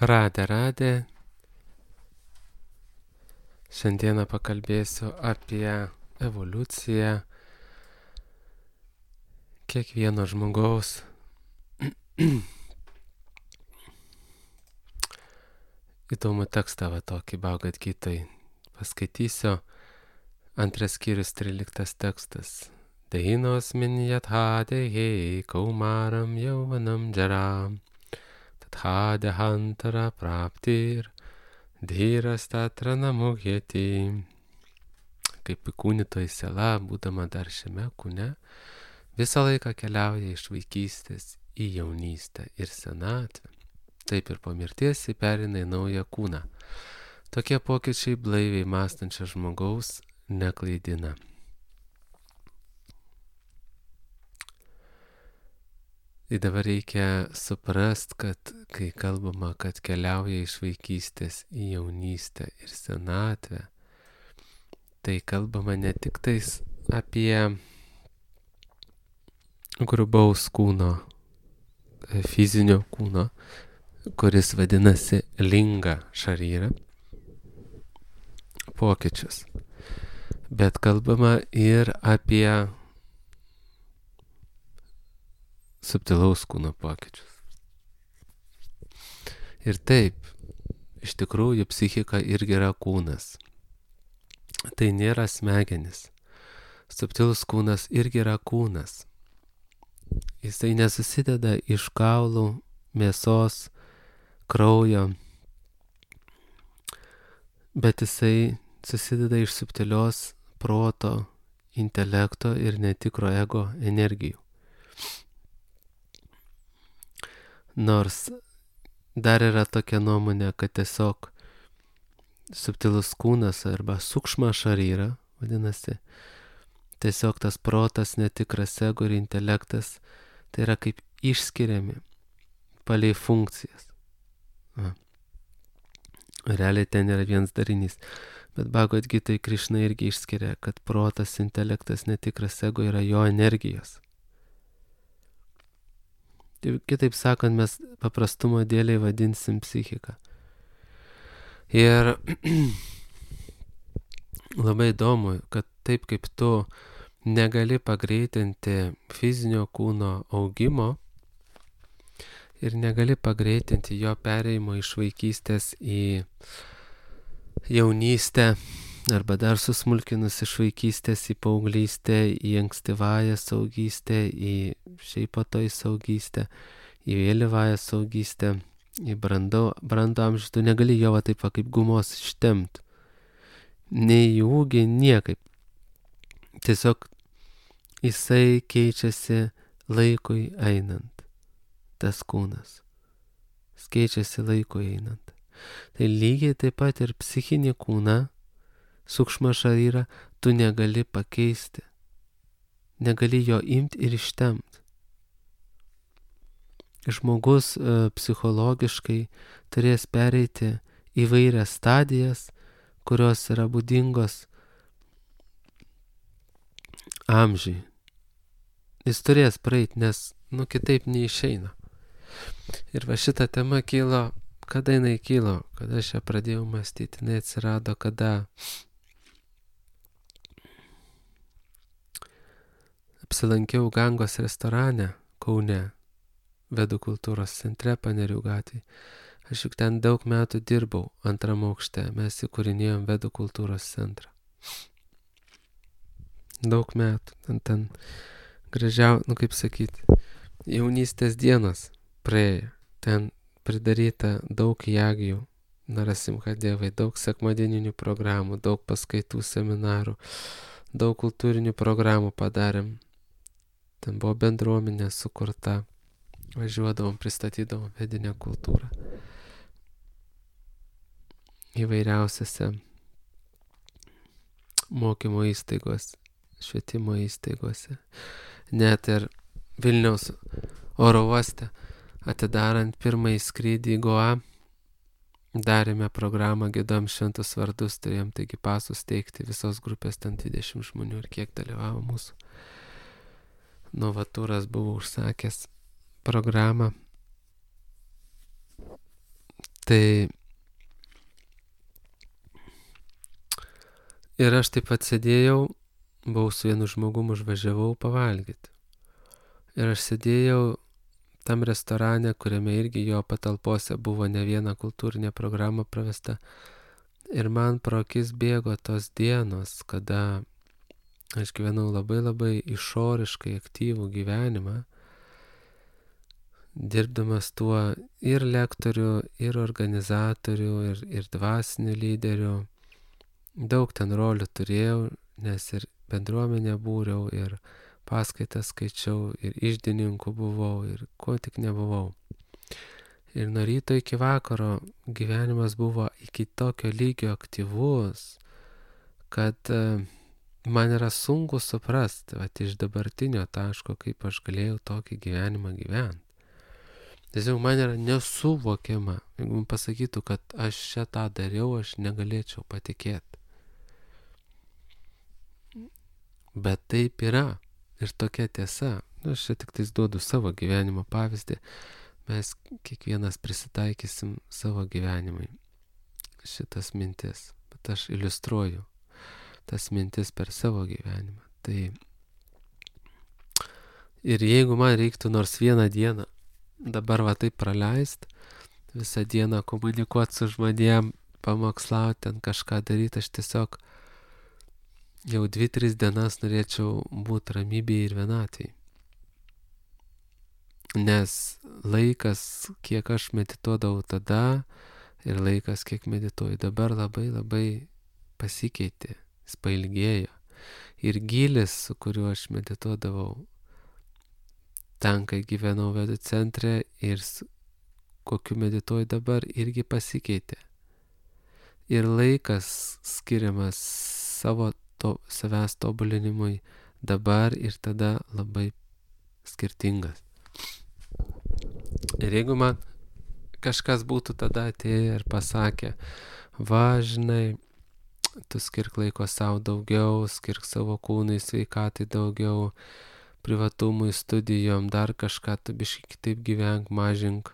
Radė. Šiandieną pakalbėsiu apie evoliuciją kiekvieno žmogaus. Įdomų tekstą tokį Bhagavad Gitai paskaitysiu. 2 skyrius 13 tekstas. Deinos minjatha dehe kaumaram yauvanam jaram tatha dehantara praptir dhyras tatra namuhyati. Kaip įkūnytoji siela, būdama dar šiame kūne, visą laiką keliauja iš vaikystės į jaunystę ir senatvę. Taip ir po mirties jį perina į naują kūną. Tokie pokyčiai blaiviai mąstančio žmogaus neklaidina. Ir dabar reikia suprast, kad kai kalbama, kad keliauja iš vaikystės į jaunystę ir senatvę, tai kalbama ne tik tais apie grubaus kūno, fizinio kūno, kuris vadinasi linga šaryra, pokyčius, bet kalbama ir apie subtilaus kūno pokyčius. Ir taip, iš tikrųjų, psichika irgi yra kūnas. Tai nėra smegenis. Subtilus kūnas irgi yra kūnas. Jisai nesusideda iš kaulų, mėsos, kraujo, bet jisai susideda iš subtilios proto, intelekto ir netikro ego energijų. Nors dar yra tokia nuomonė, kad tiesiog subtilus kūnas arba sukšma šaryra, vadinasi, tiesiog tas protas, netikras ego ir intelektas, tai yra kaip išskiriami palei funkcijas. Realiai ten yra vienas darinys. Bet Bhagavad Gitai Krišna irgi išskiria, kad protas, intelektas, netikras ego yra jo energijos. Kitaip sakant, mes paprastumo dėliai vadinsim psichiką. Ir labai įdomu, kad taip kaip tu negali pagreitinti fizinio kūno augimo ir negali pagreitinti jo pereimo iš vaikystės į jaunystę arba dar susmulkinus iš vaikystės į paauglystę, į ankstyvąją saugystę, į šiaip po to į saugystę, į vėlyvąją saugystę, į brandų amžių, tu negali jo taip kaip gumos ištemti. Nei į ūgį, niekaip. Tiesiog jisai keičiasi laikui einant, tas kūnas. Jis keičiasi laikui einant. Tai lygiai taip pat ir psichinį kūną, sukšma šaryrą, tu negali pakeisti. Negali jo imti ir ištemti. Žmogus psichologiškai turės pereiti įvairias stadijas, kurios yra būdingos amžiui. Jis turės praeiti, nes kitaip neišeina. Ir va šita tema kilo, kada jinai kilo, kada aš ją pradėjau mąstyti, jinai atsirado, kada apsilankiau Gangos restorane Kaune, Vedų kultūros centre Panerių gatvėje. Aš juk ten daug metų dirbau antram aukšte, mes įkūrinėjom Vedų kultūros centrą. Daug metų, ten gražiau, kaip sakyti, jaunystės dienos praėjo, ten pridaryta daug jagių, Narasimha Devai, daug sekmadieninių programų, daug paskaitų, seminarų, daug kultūrinių programų padarėm. Ten buvo bendruomenė sukurta, važiuodavom, pristatydavom vedinę kultūrą įvairiausiose mokymo įstaigose, švietimo įstaigose. Net ir Vilniaus oro uoste atidarant pirmąjį skrydį į Goa, darėme programą, giedom šventus vardus, turėjom taigi pasus teikti, visos grupės ten 20 žmonių ir kiek dalyvavo mūsų. Novatūras buvo užsakęs programą. Tai ir aš taip atsėdėjau, buvau su vienu žmogum, užvažiavau pavalgyti. Ir aš sėdėjau tam restorane, kuriame irgi jo patalpose buvo ne viena kultūrinė programa pravesta. Ir man pro akis bėgo tos dienos, kada aš gyvenau labai išoriškai aktyvų gyvenimą, dirbdamas tuo ir lektorių, ir organizatorių, ir dvasinių lyderių. Daug ten rolių turėjau, nes ir bendruomenę būriau, ir paskaitas skaičiau, ir iždininku buvau, ir ko tik nebuvau. Ir nuo ryto iki vakaro gyvenimas buvo iki tokio lygio aktyvus, kad man yra sunku suprasti, iš dabartinio taško, kaip aš galėjau tokį gyvenimą gyventi. Tiesiog man yra nesuvokiama, jeigu man pasakytų, kad aš čia tą dariau, aš negalėčiau patikėti. Bet taip yra ir tokia tiesa. Aš čia tik tais duodu savo gyvenimo pavyzdį. Mes kiekvienas prisitaikysim savo gyvenimui šitas mintis. Bet aš iliustruoju tas mintis per savo gyvenimą. Tai ir jeigu man reiktų nors vieną dieną dabar va taip praleist, visą dieną komunikuoti su žmonėm, pamokslauti, ten kažką daryti, aš tiesiog jau 2-3 dienas norėčiau būti ramybėje ir vienatvėje. Nes laikas, kiek aš medituodavau tada ir laikas, kiek medituoju dabar, labai pasikeitė, jis pailgėjo. Ir gylis, su kuriuo aš medituodavau, ten, kai gyvenau vedų centre ir kokiu medituoju dabar, irgi pasikeitė. Ir laikas skiriamas savęs tobulinimui dabar ir tada labai skirtingas. Ir jeigu man kažkas būtų tada atėję ir pasakė, va, žinai, tu skirk laiko savo daugiau, skirk savo kūnui, sveikatai daugiau, privatumui, studijom, dar kažką, tu biškai kitaip gyvenk, mažink,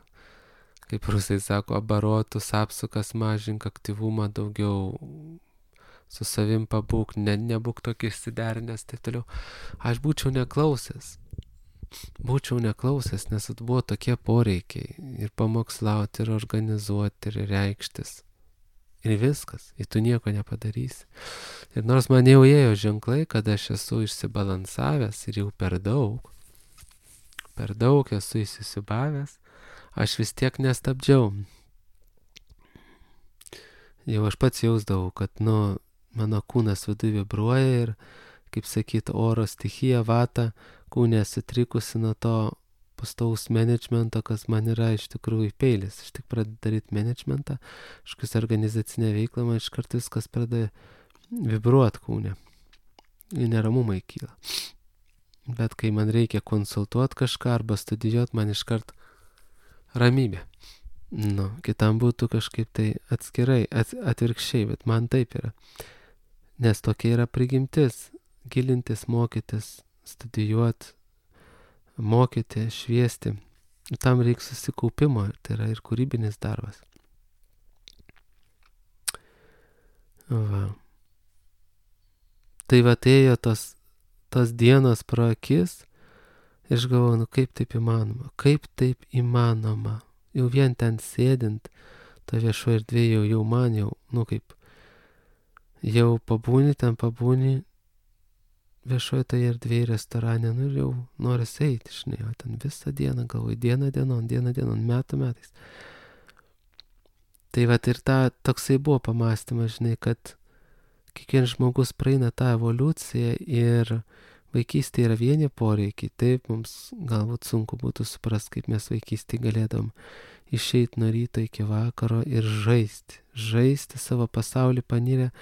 kaip rusai sako, abarotus, apsukas mažink, aktyvumą daugiau, su savim pabūk, nebūk tokį išsiderinęs, taip toliau. Aš būčiau neklausęs, nes buvo tokie poreikiai ir pamokslauti, ir organizuoti, ir reikštis. Ir viskas, ir tu nieko nepadarysi. Ir nors man jau ėjo ženklai, kad aš esu išsibalansavęs ir jau per daug esu įsisibavęs, aš vis tiek nestabdžiau. Jau aš pats jausdavau, kad, mano kūnas viduje vibruoja ir, kaip sakyt, oro stichija, vata, kūnė sutrikusi nuo to pastovaus managemento, kas man yra iš tikrųjų peilis. Aš tik pradedu daryti managementą, kažkas organizacinė veikla, man iš karto viskas pradeda vibruoti kūnė. Ir neramumai kyla. Bet kai man reikia konsultuoti kažką arba studijuoti, man iš karto ramybė. Kitam būtų kažkaip tai atskirai, atvirkščiai, bet man taip yra. Nes tokia yra prigimtis, gilintis, mokytis, studijuoti, mokyti, šviesti. Ir tam reikia susikaupimo, tai yra ir kūrybinis darbas. Va. Tai va, ėjo tos dienos pro akis ir aš galvoju, kaip taip įmanoma. Jau vien ten sėdint, to viešo erdvėje jau man kaip jau pabūni viešoje toje erdvėje restorane, ir jau noris eiti, žinai, o ten visą dieną galvoju, diena dienon, metais. Tai va, ir toksai buvo pamąstymas, žinai, kad kiekvienas žmogus praeina tą evoliuciją ir vaikystėje yra vieni poreikiai. Taip, mums galbūt sunku būtų suprasti, kaip mes vaikystėje galėdom išeiti nuo ryto iki vakaro ir žaisti savo pasaulį panirę.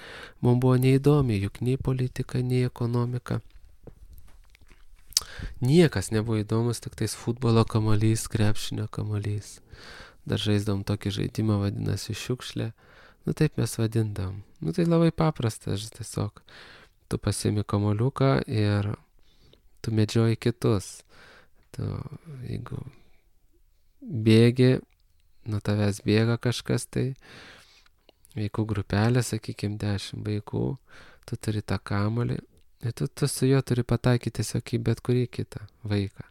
Mums buvo neįdomi, juk nei politika, nei ekonomika. Niekas nebuvo įdomus, tik tais futbolo kamuolys, krepšinio kamuolys. Dar žaisdavom tokį žaidimą, vadinasi šiukšlė. Taip mes vadindavom. Tai labai paprasta, tiesiog. Tu pasiimi kamuoliuką ir tu medžioji kitus. Jeigu bėgi, nuo tavęs bėga kažkas tai, vaikų grupelė, sakykime, 10 vaikų, tu turi tą kamuolį ir tu su juo turi pataikyti tiesiog į bet kurį kitą vaiką.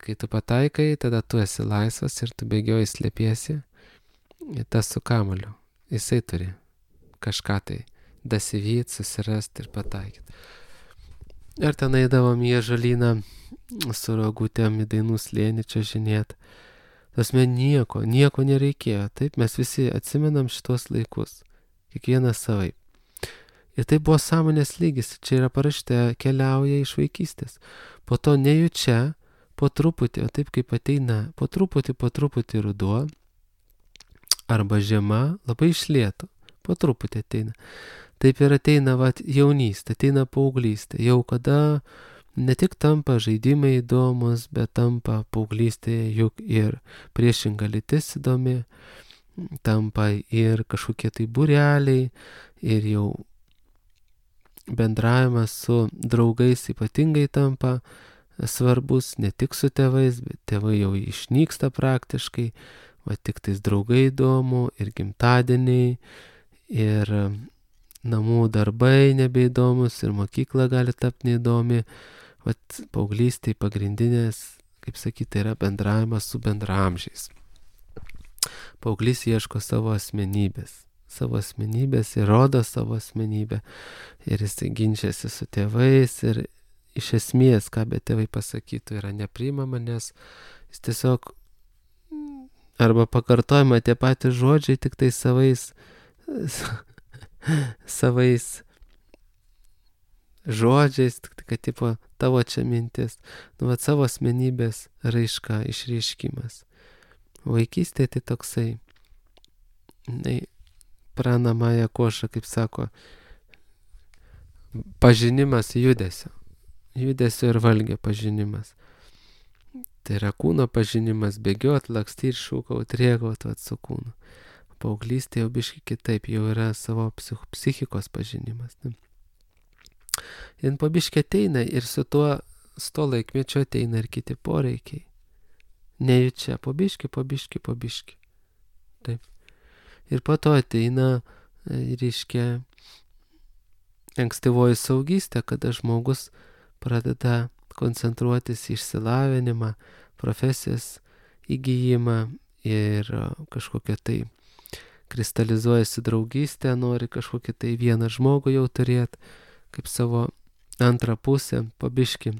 Kai tu pataikai, tada tu esi laisvas ir tu bėgioji slėpiesi ir tas su kamuoliu. Jisai turi kažką tai dasivyt, susirasti ir pataikyti. Ir ten eidavom į ąžuolyną su rogutėm į Dainų slėnį čiuožinėt. Tasme nieko nereikėjo. Taip, mes visi atsimenam šitos laikus. Kiekvienas savaip. Ir tai buvo sąmonės lygis. Čia yra parašyta, keliauja iš vaikystės. Po to nejučia, po truputį, o taip kaip ateina, po truputį ruduo, arba žiema, labai iš lėto. Po truputį ateina. Taip ir ateina jaunystė, ateina paauglystė. Jau kada ne tik tampa žaidimai įdomus, bet tampa paauglystėje juk ir priešinga lytis įdomi, tampa ir kažkokie tai būreliai, ir jau bendravimas su draugais ypatingai tampa svarbus, ne tik su tėvais, bet tėvai jau išnyksta praktiškai, tik tais draugai įdomu, ir gimtadieniai, ir namų darbai nebeįdomus, ir mokykla gali tapti neįdomi. Paauglystėje pagrindinės, kaip sakyti, yra bendravimas su bendraamžiais. Paauglys ieško savo asmenybės ir rodo savo asmenybę. Ir jis ginčiasi su tėvais ir iš esmės, ką be tėvai pasakytų, yra nepriimama, nes jis tiesiog arba pakartojama tie patys žodžiai, tik tai savais žodžiais, tik kad tipo tavo čia mintis, savo asmenybės raiška, išreiškimas. Vaikystėje tai toksai, pranamąją košą, kaip sako, pažinimas judesio ir valgio pažinimas. Tai yra kūno pažinimas, bėgiot, lakstyt, šūkaut, rėkaut su kūnu. Paauglystė jau biški kitaip, jau yra savo psichikos pažinimas. Ir po biškį ateina ir su to laikmečio ateina ir kiti poreikiai. Nejučia, po biškį. Taip. Ir po to ateina, reiškia, ankstyvoji saugystė, kada žmogus pradeda koncentruotis į išsilavinimą, profesijos įgyjimą ir kažkokią tai kristalizuojasi draugystę, nori kažkokį tai vieną žmogų jau turėti, kaip savo antrą pusę, po biškį.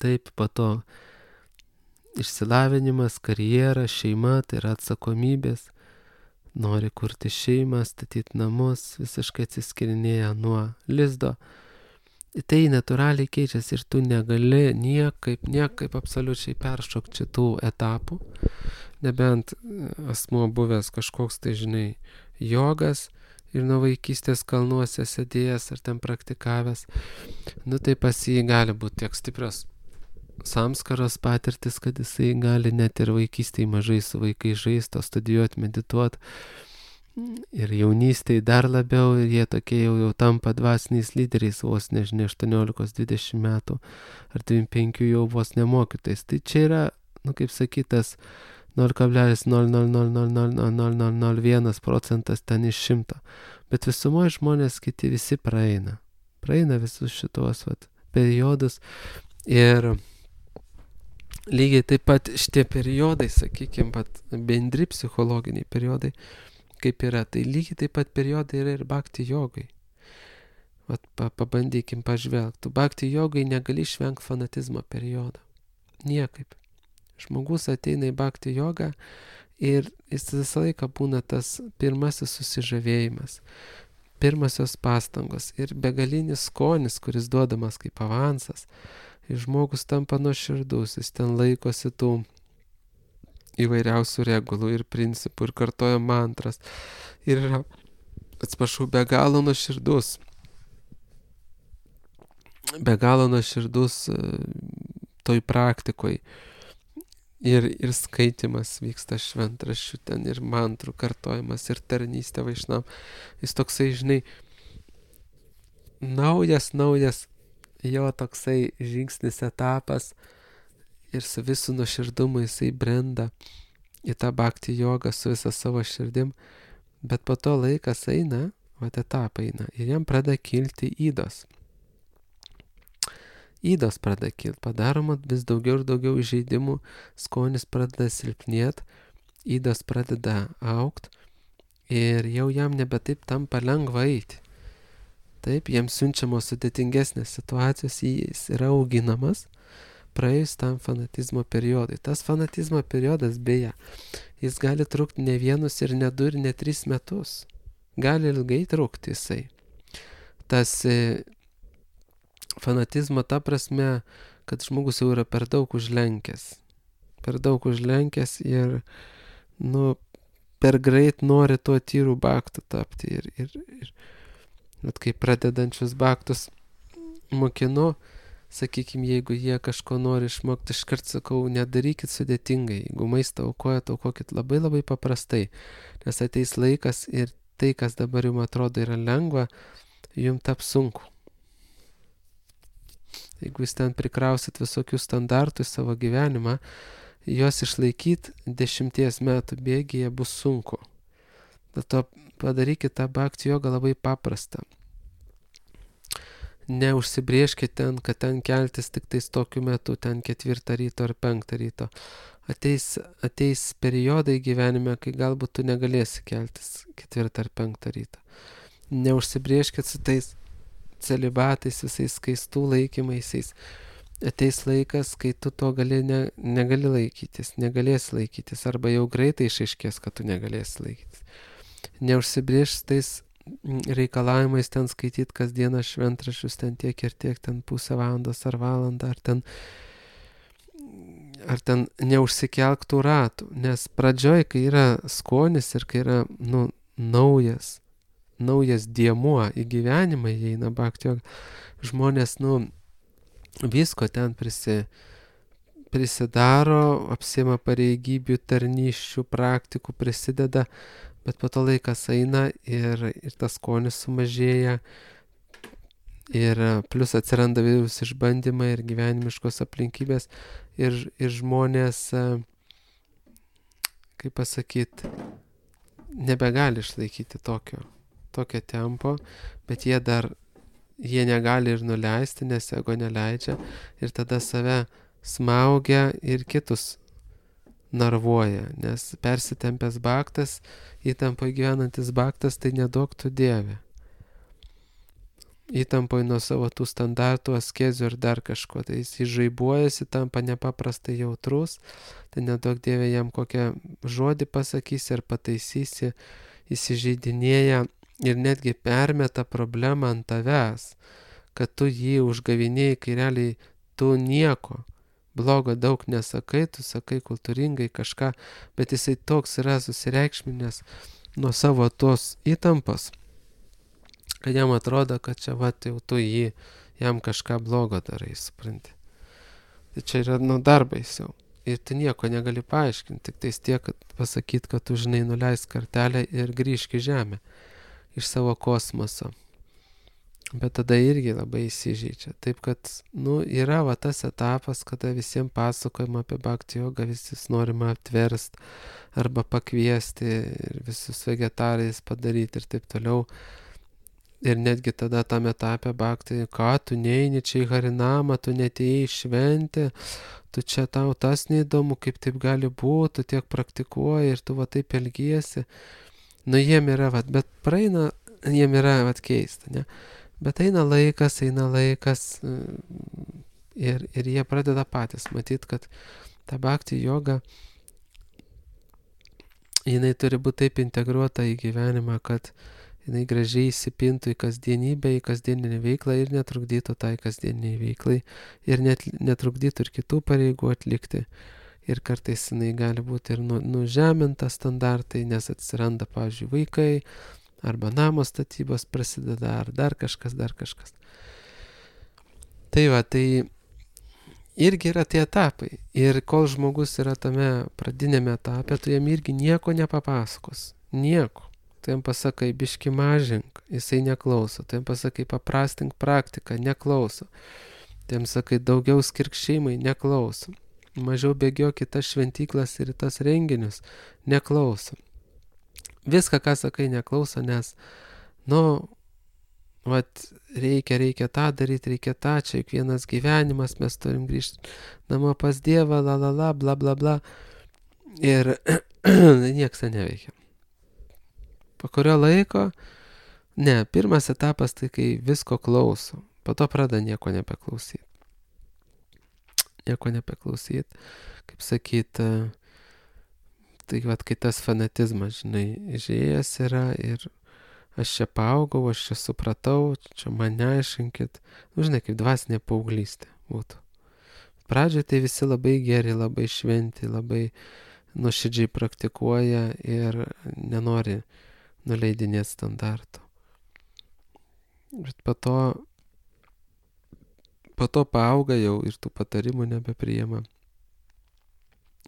Taip, po to išsilavinimas, karjera, šeima, tai yra atsakomybės, nori kurti šeimą, statyti namus, visiškai atsiskirinėja nuo lizdo. Tai natūraliai keičiasi ir tu negali niekaip absoliučiai peršokti šitų etapų, nebent asmuo buvęs kažkoks tai, jogas ir nuo vaikystės kalnuose sėdėjęs ar ten praktikavęs, tai pas jį gali būti tiek stiprios samskaros patirtis, kad jisai gali net ir vaikystėje mažai su vaikais žaisti, studijuoti, medituoti. Ir jaunystėje dar labiau, ir jie tokie jau tampa dvasiniais lyderiais, vos 18-20 metų, ar 25 jau vos nemokytais. Tai čia yra, kaip sakytas, 0,0000001% ten iš 100. Bet visumoje žmonės kiti visi praeina visus šitos periodus. Ir lygiai taip pat šitie periodai, sakykime, bendri psichologiniai periodai, kaip yra, tai lygiai taip pat periodai yra ir bhakti jogai. Pabandykim pažvelgti. Bhakti jogai negali išvengti fanatizmo periodo. Niekaip. Žmogus ateina į bhakti jogą ir jis visą laiką būna tas pirmasis susižavėjimas, pirmasios pastangos ir begalinis skonis, kuris duodamas kaip avansas. Ir žmogus tampa nuoširdus, jis ten laikosi tų įvairiausių regulų ir principų ir kartoja mantras. Ir yra, be galo nuoširdus toj praktikoj. Ir skaitimas vyksta šventraščių ten, ir mantrų kartojimas, ir tarnystė vaišnavam. Jis toksai, naujas jo toksai žingsnis etapas ir su visų nuoširdumu jisai brenda į tą bhakti jogą su visa savo širdim, bet po to laikas eina, etapai eina ir jam pradeda kilti įdos. Įdos pradeda kilti, padaroma vis daugiau ir daugiau įžeidimų, skonis pradeda silpnėti, įdos pradeda augti ir jau jam nebe taip tampa lengva eiti. Taip, jiems siunčiamos sudėtingesnės situacijos, jis yra auginamas praėjus tam fanatizmo periodui. Tas fanatizmo periodas, beje, jis gali trukti ne 1 ir ne 2 ir ne 3 metus. Gali ilgai trukti jisai. Tas fanatizmo ta prasme, kad žmogus jau yra per daug užlenkęs. Per daug užlenkęs ir, per greit nori tuo tyru bhaktu tapti. Ir kai pradedančius bhaktus mokinu, sakykime, jeigu jie kažko nori išmokti, iškart sakau, nedarykit sudėtingai. Jeigu maistą aukojat, aukokit labai labai paprastai. Nes ateis laikas ir tai, kas dabar jums atrodo yra lengva, jums taps sunku. Jeigu jūs ten prikrausit visokių standartų į savo gyvenimą, juos išlaikyti 10 metų bėgyje bus sunku. Dėl to padarykit tą bhakti jogą labai paprastą. Neužsibrėžkit ten, kad ten keltis tik tais tokiu metu, ten 4 ryto ar 5 ryto. Ateis periodai gyvenime, kai galbūt tu negalėsi keltis 4 ar 5 ryto. Neužsibrėžkit su tais celibatais, visais skaistų laikymaisiais. Ateis laikas, kai tu to negali laikytis, negalėsi laikytis, arba jau greitai išaiškės, kad tu negalėsi laikytis. Neužsibrėž tais reikalavimais ten skaityti kasdieną šventraščius, ten tiek ir tiek, ten pusę valandos ar valandą, ar ten neužsikelk tų ratų, nes pradžioj, kai yra skonis ir kai yra naujas dėmuo į gyvenimą įeina bhakti joga, žmonės visko ten prisidaro, apsiima pareigybių, tarnysčių, praktikų, prisideda, bet po to laikas eina ir tas skonis sumažėja ir plus atsiranda vėliaus išbandymai ir gyvenimiškos aplinkybės ir žmonės, kaip pasakyti, nebegali išlaikyti tokio tempo, bet jie negali ir nuleisti, nes ego neleidžia ir tada save smaugia ir kitus narvuoja, nes persitempęs bhaktas, įtampoje gyvenantis bhaktas, tai neduok tu Dieve. Įtampoje nuo savo tų standartų, askezių ir dar kažko, tai jis žaibuojasi, tampa nepaprastai jautrus, tai neduok Dieve jam kokią žodį pasakysi ir pataisysi, įsižeidinėja ir netgi permeta problemą ant tavęs, kad tu jį užgavinėjai, kai realiai tu nieko blogo daug nesakai, tu sakai kultūringai kažką, bet jisai toks yra susireikšminęs nuo savo tos įtampos, kad jam atrodo, kad čia jau tu jam kažką blogo darai, supranti. Tai čia yra dar baisiau. Ir tu nieko negali paaiškinti, tik tais tiek, kad pasakyti, kad tu žinai nuleisk kartelę ir grįžk į žemę iš savo kosmoso. Bet tada irgi labai įsižeidžia. Taip kad, yra tas etapas, kada visiems pasakojama apie bhakti jogą, visus norima aptverst arba pakviesti ir visus vegetarais padaryti ir taip toliau. Ir netgi tada tam etape bhakti, ką tu neini čia į harinamą, tu netėjai į šventę, tu čia tau tas neįdomu, kaip taip gali būti, tu tiek praktikuoji ir tu taip elgiesi. Jiem yra, bet praeina, jiem yra keista, ne? Bet eina laikas ir jie pradeda patys matyti, kad ta bhakti joga, jinai turi būti taip integruota į gyvenimą, kad jinai gražiai įsipintų į kasdienybę, į kasdieninę veiklą ir netrukdytų tai kasdieniniai veiklai ir netrukdytų ir kitų pareigų atlikti. Ir kartais jinai gali būti ir nužeminta standartai, nes atsiranda, pavyzdžiui, vaikai, arba namo statybos prasideda, ar dar kažkas. Tai irgi yra tie etapai. Ir kol žmogus yra tame pradinėme etape, tu jam irgi nieko nepapasakos. Nieko. Tu jam pasakai, biški mažink, jisai neklauso. Tu jam pasakai, paprastink praktiką, neklauso. Tu jam sakai, daugiau skirk šeimai, neklauso. mažiau bėgiok į tas šventyklas ir į tas renginius, neklauso. Viską, ką sakai, neklauso, nes, reikia tą daryti, reikia tą, čia juk vienas gyvenimas, mes turim grįžti namo pas Dievą, bla bla bla. Ir nieks neveikia. Po kurio laiko, pirmas etapas tai, kai visko klauso, po to pradeda nieko nebeklausyti. Kaip sakyt, tai kai tas fanatizmas, išėjęs yra ir aš čia paaugau, aš čia supratau, čia man neaiškinkit, kaip dvasinė paauglystė būtų. Pradžioje tai visi labai geri, labai šventi, labai nuoširdžiai praktikuoja ir nenori nuleidinėti standartų. Bet po to paauga jau ir tų patarimų nebepriima.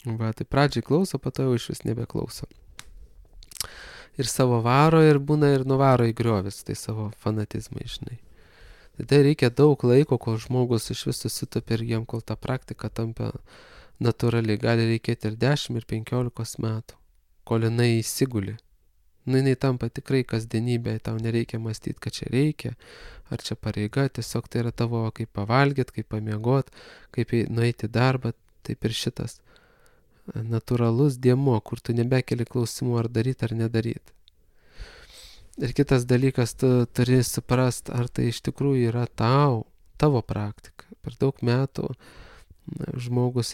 Tai pradžiai klauso, po to jau iš vis nebeklauso. Ir savo varo ir būna ir nuvaro į griovis, tai savo fanatizmai, Tai reikia daug laiko, kol žmogus iš vis susitopia ir jiem, kol ta praktika tampa natūraliai. Gali reikėti ir 10, ir 15 metų, kol jinai įsiguli. Jinai tampa tikrai kasdienybė, tau nereikia mąstyti, kad čia reikia, ar čia pareiga, tiesiog tai yra tavo kaip pavalgyti, kaip pamiegot, kaip nueiti į darbą, taip ir šitas natūralus dėmuo, kur tu nebekeli klausimų ar daryti ar nedaryti. Ir kitas dalykas, tu turi suprast, ar tai iš tikrųjų yra tavo praktika. Per daug metų žmogus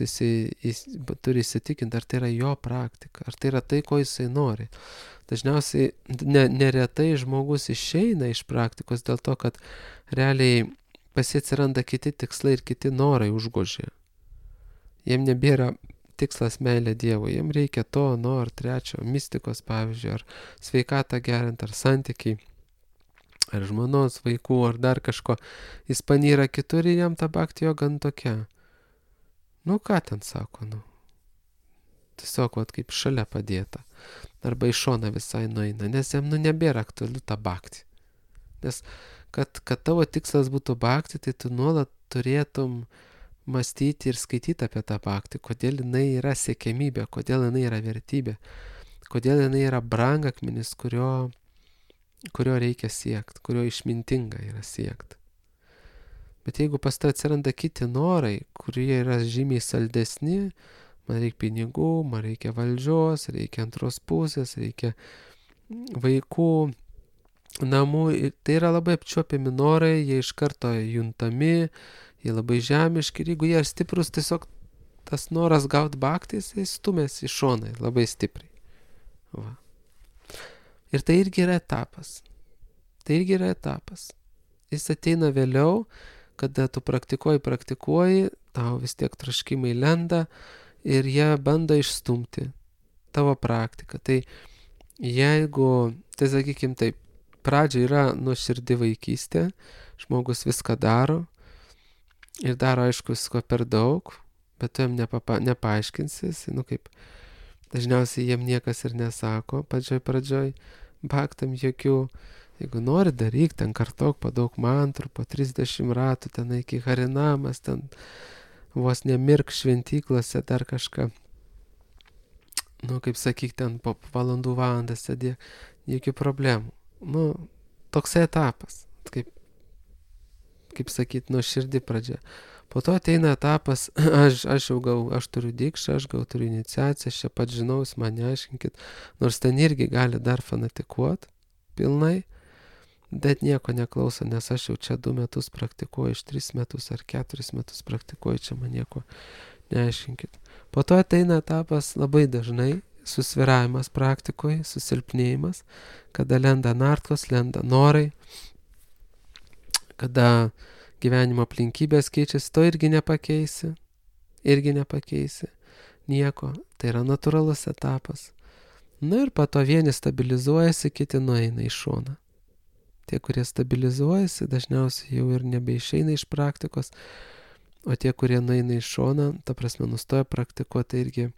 turi įsitikinti, ar tai yra jo praktika, ar tai yra tai, ko jisai nori. Dažniausiai neretai žmogus išeina iš praktikos dėl to, kad realiai pas jį atsiranda kiti tikslai ir kiti norai užgožia. Jiem nebėra tikslas meilė Dievui, jiem reikia to, ar trečio, mistikos pavyzdžiui, ar sveikatą gerint, ar santykiai, ar žmonos, vaikų, ar dar kažko. Jis panyra kitur ir jam ta bhakti joga tokia. Ką ten sako, tiesiog kaip šalia padėta. Arba į šoną visai nueina, nes jam nebėra aktualiu ta bhakti. Nes kad tavo tikslas būtų bhakti, tai tu nuolat turėtum mąstyti ir skaityti apie tą bhakti, kodėl jinai yra siekiamybė, kodėl jinai yra vertybė, kodėl jinai yra brangakmenis, kurio reikia siekti, kurio išmintinga yra siekti. Bet jeigu pas tai atsiranda kiti norai, kurie yra žymiai saldesni, man reikia pinigų, man reikia valdžios, reikia antros pusės, reikia vaikų, namų, tai yra labai apčiuopiami norai, jie iš karto juntami, jie labai žemiški ir jeigu jie stiprus, tiesiog tas noras gauti bhakti, jis stumės į šoną labai stipriai. Ir tai irgi yra etapas. Jis ateina vėliau, kada tu praktikuoji, tau vis tiek troškimai lenda ir jie bando išstumti tavo praktiką. Tai jeigu, sakykim taip, pradžia yra nuoširdi vaikystė, žmogus viską daro, ir daro, aišku, visko per daug, bet tu jam nepaaiškinsi, kaip dažniausiai jiem niekas ir nesako pradžioj, bhaktam jokių, jeigu nori daryk, ten kartok po daug mantrų, po 30 ratų, ten iki harinamas, ten vos nemirk šventyklose, dar kažką, kaip sakyk, ten po valandą sėdėk, jokių problemų. Toksai etapas, kaip sakyt, nuoširdi pradžia. Po to ateina etapas, aš turiu dikšą, aš turiu iniciaciją, aš čia pat žinau, jūs man neaiškinkit, nors ten irgi gali dar fanatikuoti pilnai, bet nieko neklauso, nes aš jau čia 2 metus praktikuoju, iš 3 metus ar 4 metus praktikuoju, čia man nieko neaiškinkit. Po to ateina etapas labai dažnai, susviravimas praktikoje, susilpnėjimas, kada lenda nartkos, lenda norai, kada gyvenimo aplinkybės keičiasi, to irgi nepakeisi, nieko, tai yra natūralus etapas. Ir po to vieni stabilizuojasi, kiti nueina į šoną. Tie, kurie stabilizuojasi, dažniausiai jau ir nebeišeina iš praktikos, o tie, kurie nueina į šoną, ta prasme nustoja praktikuoti, tai irgi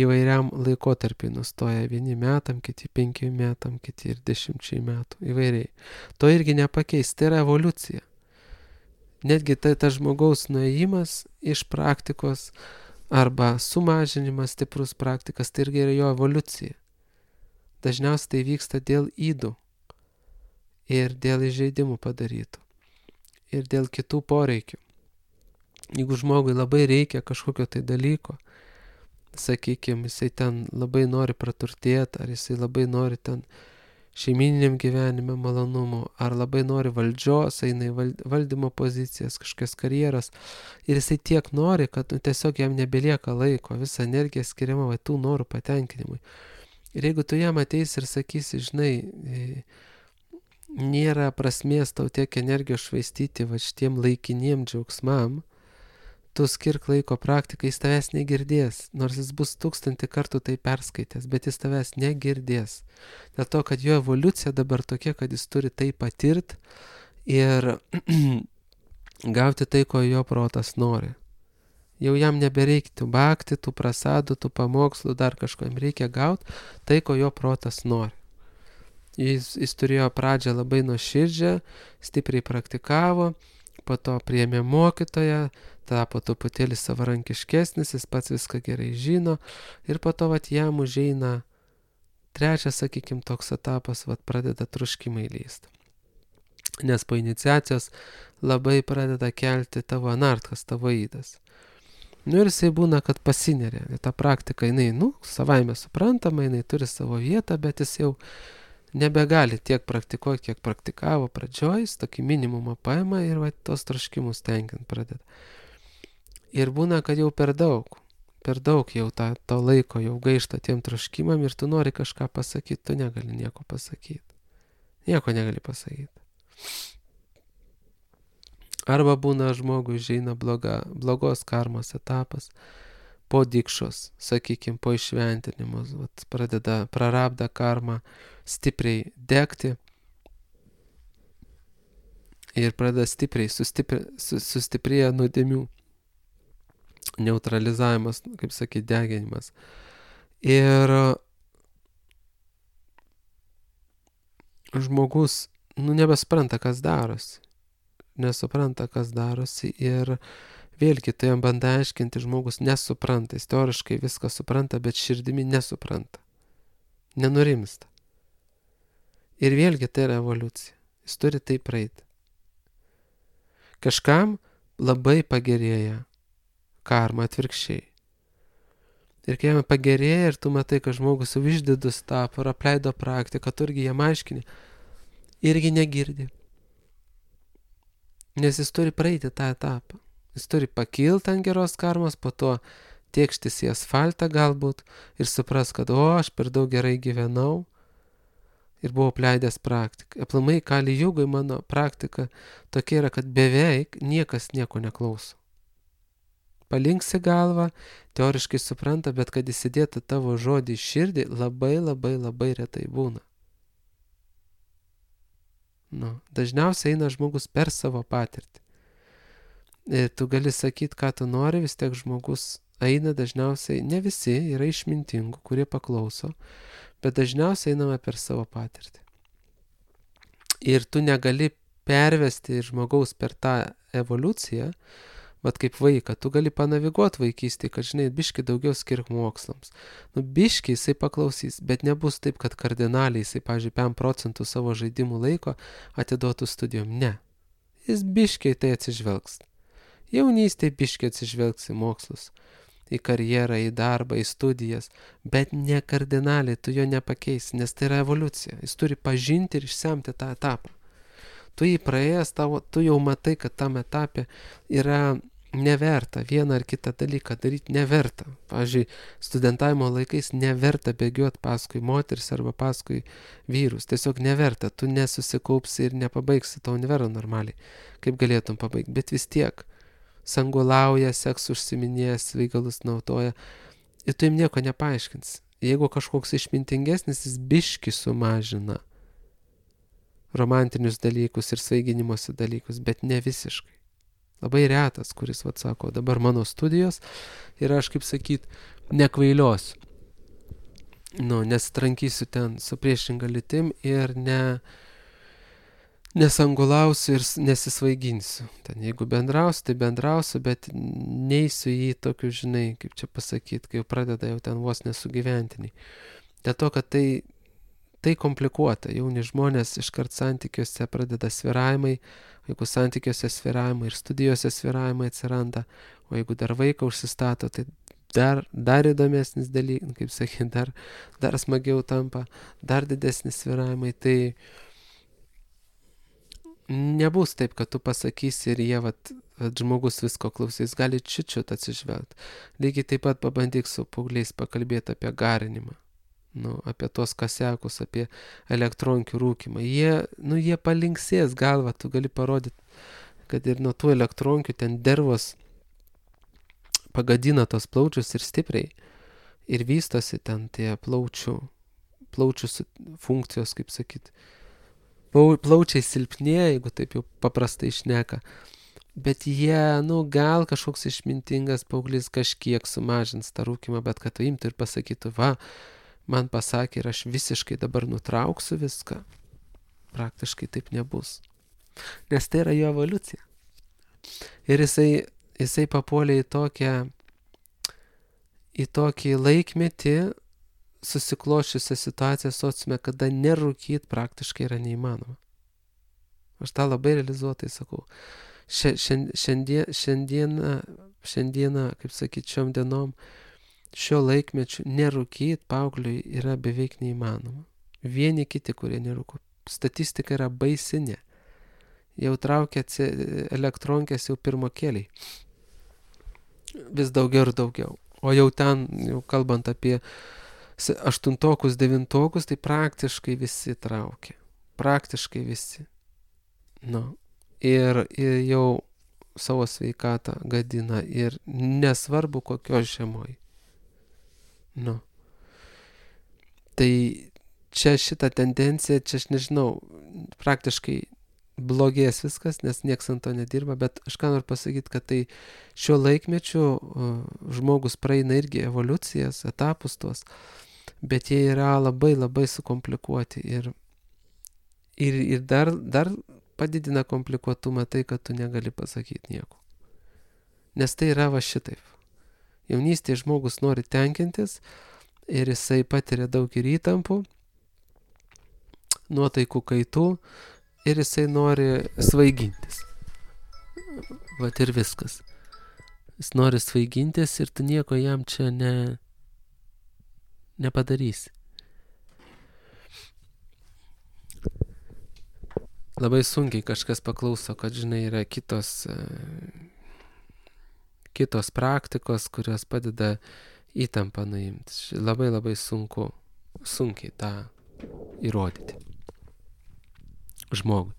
įvairiam laikotarpiai nustoja, vieni metam, kiti 5 metam, kiti ir 10 metų, įvairiai. To irgi nepakeis, tai yra evoliucija. Netgi tas žmogaus nuėjimas iš praktikos arba sumažinimas stiprus praktikas, tai irgi yra jo evoliucija. Dažniausiai tai vyksta dėl ydų ir dėl įžeidimų padarytų ir dėl kitų poreikių. Jeigu žmogui labai reikia kažkokio tai dalyko, sakykime, jisai ten labai nori praturtėti, ar jisai labai nori ten šeimininiam gyvenime malonumų, ar labai nori valdžios, eina į valdymo pozicijas, kažkokias karjeras, ir jisai tiek nori, kad tiesiog jam nebelieka laiko, visa energija skiriama tų norų patenkinimui. Ir jeigu tu jam ateisi ir sakysi, žinai, nėra prasmės tau tiek energijos švaistyti šitiem laikiniem džiaugsmam, tu skirk laiko praktikai, jis tavęs negirdės, nors jis bus 1000 kartų tai perskaitęs, bet jis tavęs negirdės. Dėl to, kad jo evoliucija dabar tokia, kad jis turi tai patirti ir gauti tai, ko jo protas nori. Jau jam nebereikia tų bhakti, tų prasadų, tų pamokslų, dar kažko, jam reikia gauti tai, ko jo protas nori. Jis turėjo pradžią labai nuoširdžią, stipriai praktikavo, po to priėmė mokytoją, tapo truputėlį savarankiškesnis, jis pats viską gerai žino ir po to jam užeina trečias, sakykime, toks etapas, pradeda troškimai lysti. Nes po iniciacijos labai pradeda kelti tavo anartas, tavo įdas. Ir jisai būna, kad pasineria. Ta praktika, jinai, savaime suprantama, jinai turi savo vietą, bet jis jau nebegali tiek praktikuoti, kiek praktikavo pradžioj, jis tokį minimumą paima ir tos troškimus tenkint pradeda. Ir būna, kad jau per daug jau to laiko jau gaišta tiem troškimam ir tu nori kažką pasakyti, tu negali nieko pasakyti. Nieko negali pasakyti. Arba būna žmogui užeina blogos karmos etapas, po dikšos, sakykime, po išventinimo, pradeda prarabdą karmą stipriai degti ir pradeda stipriai sustiprėja nuodėmių neutralizavimas, kaip sakyti, deginimas. Ir žmogus, nebespranta, kas darosi. Nesupranta, kas darosi ir vėlgi tu jam bandai aiškinti, žmogus nesupranta, jis teoriškai viską supranta, bet širdimi nesupranta, nenurimsta. Ir vėlgi tai yra evoliucija, jis turi tai praeiti. Kažkam labai pagerėja karma atvirkščiai. Ir kai jam pagerėja ir tu matai, kad žmogus jau išdidus tapo, apleido praktiką, tu irgi jam aiškini, irgi negirdi. Nes jis turi praeiti tą etapą. Jis turi pakilti ant geros karmos, po to tėkštis į asfaltą galbūt ir supras, kad aš per daug gerai gyvenau ir buvau apleidęs praktiką. Aplamai Kali Jugai mano praktika tokia yra, kad beveik niekas nieko neklauso. Palinksi galvą, teoriškai supranta, bet kad įsidėtų tavo žodį į širdį, labai retai būna. Dažniausiai eina žmogus per savo patirtį. Ir tu gali sakyti, ką tu nori, vis tiek žmogus eina dažniausiai, ne visi, yra išmintingų, kurie paklauso, bet dažniausiai einame per savo patirtį. Ir tu negali pervesti žmogaus per tą evoliuciją, kaip vaiką, tu gali panaviguoti vaikystėje, kad, žinai, biški daugiau skirk mokslams. Biški jisai paklausys, bet nebus taip, kad kardinaliai jisai, pavyzdžiui, 5% savo žaidimų laiko atiduotų studijom. Ne. Jis biškiai tai atsižvelgs. Jaunystėje biškiai atsižvelgs į mokslus, į karjerą, į darbą, į studijas, bet ne kardinaliai, tu jo nepakeisi, nes tai yra evoliucija. Jis turi pažinti ir išsemti tą etapą. Tu jį praėjęs, tu jau matai, kad tam etape yra neverta vieną ar kitą dalyką daryti, neverta. Pavyzdžiui, studentavimo laikais neverta bėgioti paskui moteris arba paskui vyrus. Tiesiog neverta, tu nesusikaupsi ir nepabaigsi to univero normaliai, kaip galėtum pabaigti. Bet vis tiek sangulauja, seks užsiminėja, svaigalus naudoja ir tu jam nieko nepaaiškins. Jeigu kažkoks išmintingesnis, jis biški sumažina romantinius dalykus ir svaiginimosi dalykus, bet ne visiškai. Labai retas, kuris, sako, dabar mano studijos ir aš, kaip sakyt, nekvailiosiu. Nesitrankysiu ten su priešinga lytim ir nesangulausiu ir nesisvaiginsiu. Ten jeigu bendrausiu, tai bendrausiu, bet neisiu į tokius, žinai, kaip čia pasakyti, kai jau pradeda jau ten vos nesugyventiniai. Dėl to, kad tai komplikuota. Jauni žmonės iškart santykiuose pradeda svyravimai, jeigu santykiuose svyravimai ir studijose svyravimai atsiranda, o jeigu dar vaiką užsistato, tai dar įdomesnis dalykas, kaip sakyti, dar smagiau tampa, dar didesnis svyravimai. Tai nebus taip, kad tu pasakysi ir jie, žmogus visko klausys, gali čiut atsižvelgti. Lygiai taip pat pabandyk su paaugliais pakalbėti apie garinimą. Apie tos kasekus, apie elektronkių rūkimą. Jie palinksės galvą, tu gali parodyti, kad ir nuo tų elektronkių ten dervos pagadina tos plaučius ir stipriai. Ir vystosi ten tie plaučių funkcijos, kaip sakyti. Plaučiai silpnėja, jeigu taip jau paprastai šneka. Bet jie, gal kažkoks išmintingas paauglys kažkiek sumažins tą rūkimą, bet kad tu imtų ir pasakytų, man pasakė ir aš visiškai dabar nutrauksiu viską. Praktiškai taip nebus. Nes tai yra jo evoliucija. Ir jisai papuolė į tokį laikmetį, susikloščiusią situaciją sociume, kada nerūkyt praktiškai yra neįmanoma. Aš tą labai realizuotai sakau. Šiandieną, kaip sakyti, šiom dienom, šio laikmečiu nerūkyt paaugliui yra beveik neįmanoma. Vieni kiti, kurie nerūko. Statistika yra baisinė. Jau traukia elektronkės jau pirmokėliai. Vis daugiau ir daugiau. O jau ten, kalbant apie 8-okus, 9-okus, tai praktiškai visi traukia. Praktiškai visi. Ir jau savo sveikatą gadina ir nesvarbu kokios žemoj. Tai čia šita tendencija, čia aš nežinau, praktiškai blogės viskas, nes nieks ant to nedirba, bet aš ką noriu pasakyti, kad tai šiuo laikmečiu žmogus praeina irgi evoliucijas, etapus tuos, bet jie yra labai labai sukomplikuoti ir dar padidina komplikuotumą tai, kad tu negali pasakyti nieko. Nes tai yra šitaip. Jaunystėje žmogus nori tenkintis ir jisai patiria daug ir įtampų, nuotaikų kaitų ir jisai nori svaigintis. Ir viskas. Jis nori svaigintis ir tu nieko jam čia nepadarysi. Labai sunkiai kažkas paklauso, kad, žinai, yra kitos praktikos, kurios padeda įtampą nuimti. Labai labai sunkiai tą įrodyti žmogui.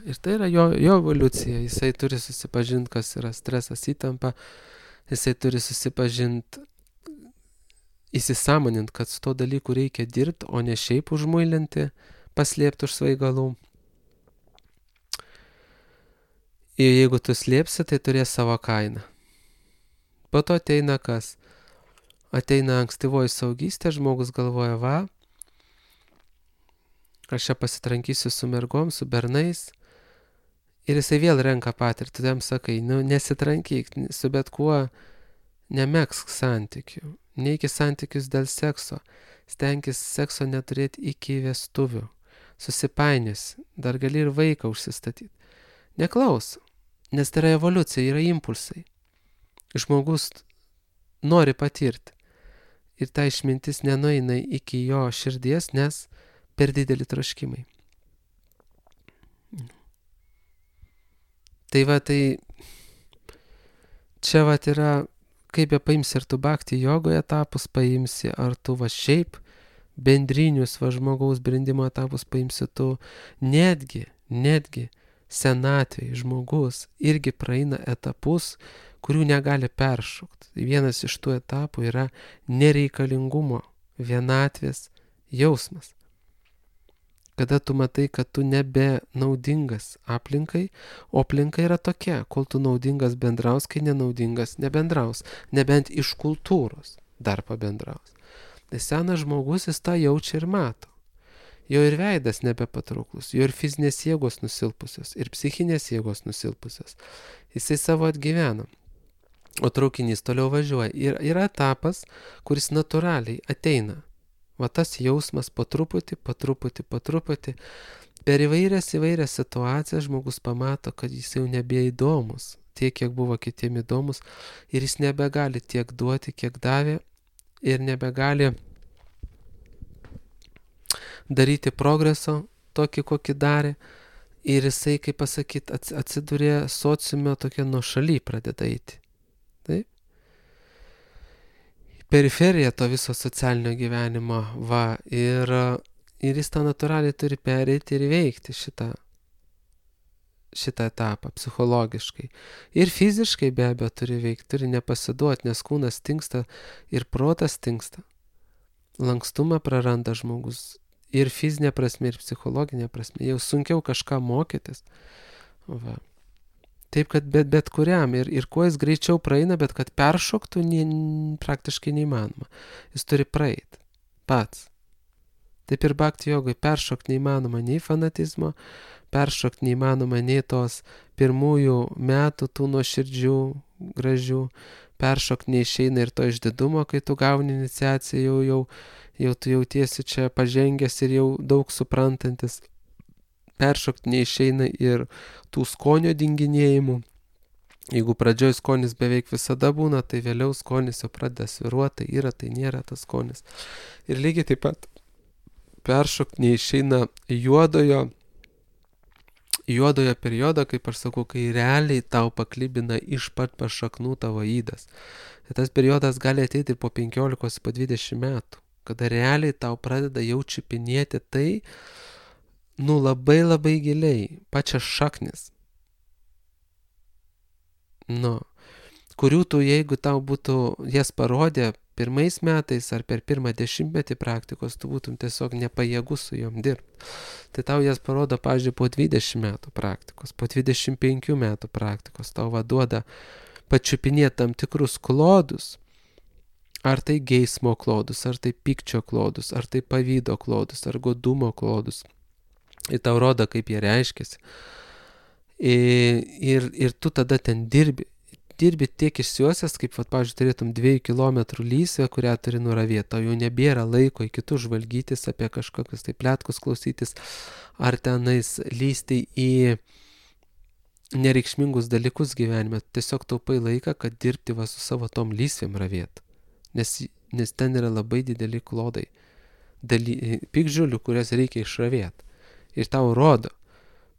Ir tai yra jo evoliucija. Jisai turi susipažinti, kas yra stresas, įtampa. Jisai turi susipažinti, įsisąmoninti, kad su to dalyku reikia dirbti, o ne šiaip užmuilinti, paslėpti už svaigalų. Ir jeigu tu slėpsi, tai turės savo kainą. Po to ateina kas? Ateina ankstyvoji suaugystė, žmogus galvoja, aš čia pasitrankysiu su mergom, su bernais. Ir jisai vėl renka patirtį. Tu jam sakai, nesitrankyk, su bet kuo nemegzk santykių. Neiki santykius dėl sekso. Stenkis sekso neturėti iki vestuvių. Susipainius, dar gali ir vaiką užsistatyti. Neklaus, nes tai yra evoliucija, yra impulsai. Žmogus nori patirti. Ir ta išmintis nenueina iki jo širdies, nes per didelį troškimai. Tai čia yra, kaip paimsi, ar tu bhakti jogoje etapus paimsi, ar tu šiaip bendrinius žmogaus brendimo etapus paimsi, tu netgi senatvėje žmogus irgi praeina etapus, kurių negali peršokti. Vienas iš tų etapų yra nereikalingumo, vienatvės jausmas. Kada tu matai, kad tu nebe naudingas aplinkai, o aplinka yra tokia, kol tu naudingas bendraus, kai nenaudingas nebendraus, nebent iš kultūros dar pabendraus. Tai senas žmogus, jis tą jaučia ir mato. jo ir veidas nebepatrauklus, jo ir fizinės jėgos nusilpusios, ir psichinės jėgos nusilpusios. Jisai savo atgyveno, o traukinys toliau važiuoja. Ir yra etapas, kuris natūraliai ateina. Va tas jausmas po truputį, per įvairias situacijas žmogus pamato, kad jis jau nebeįdomus, tiek, kiek buvo kitiem įdomus, ir jis nebegali tiek duoti, kiek davė, ir nebegali daryti progreso tokį, kokį darė, ir jisai, kaip pasakyti, atsidūrė sociume tokia nuošaly pradeda eiti. Taip? Periferija to viso socialinio gyvenimo, va, ir jis tą natūraliai turi pereiti ir įveikti šitą etapą psichologiškai. Ir fiziškai be abejo turi veikti, turi nepasiduoti, nes kūnas tingsta ir protas tingsta. Lankstumą praranda žmogus ir fizinė prasme, ir psichologinė prasme. Jau sunkiau kažką mokytis. Va. Taip, kad bet kuriam ir kuo jis greičiau praeina, bet kad peršoktų praktiškai neįmanoma. Jis turi praeiti pats. Taip ir bhakti jogai peršokti neįmanoma nei fanatizmo, peršokti neįmanoma nei tos pirmųjų metų tų nuoširdžių, gražių, peršokti neišeina ir to išdidumo, kai tu gauni iniciaciją, jau tu jautiesi čia pažengęs ir jau daug suprantantis. Peršokti neišeina ir tų skonio dinginėjimų. Jeigu pradžioj skonis beveik visada būna, tai vėliau skonis jau pradeda svyruoti, tai yra, tai nėra tas skonis. Ir lygiai taip pat peršokti neišeina juodojo periodo, kaip aš sakau, kai realiai tau paklibina iš pat pašaknų tavo ydas. Ir tas periodas gali ateiti ir po 15, po 20 metų, kada realiai tau pradeda jau čiupinėti tai, labai labai giliai, pačias šaknis. Kurių tu, jeigu tau būtų jas parodė pirmais metais ar per pirmą 10-metį praktikos, tu būtum tiesiog nepajėgus su jom dirbti. Tai tau jas parodo, pavyzdžiui, po 20 metų praktikos, po 25 metų praktikos, tau duoda pačiupinėti tam tikrus klodus, ar tai geismo klodus, ar tai pykčio klodus, ar tai pavydo klodus, ar godumo klodus. Ir tau rodo, kaip jie reiškiasi. Ir tu tada ten dirbi tiek išsiuosęs, kaip, pavyzdžiui, turėtum 2 kilometrų lysvę, kurią turi nuravėti. Tau jau nebėra laiko į kitus žvalgytis, apie kažkokius tai pletkus klausytis, ar tenais lysti į nereikšmingus dalykus gyvenime. Tiesiog taupai laiką, kad dirbti su savo tom lysvėm ravėt. Nes ten yra labai dideli klodai. Piktžolių, kurias reikia išravėti. Ir tau rodo.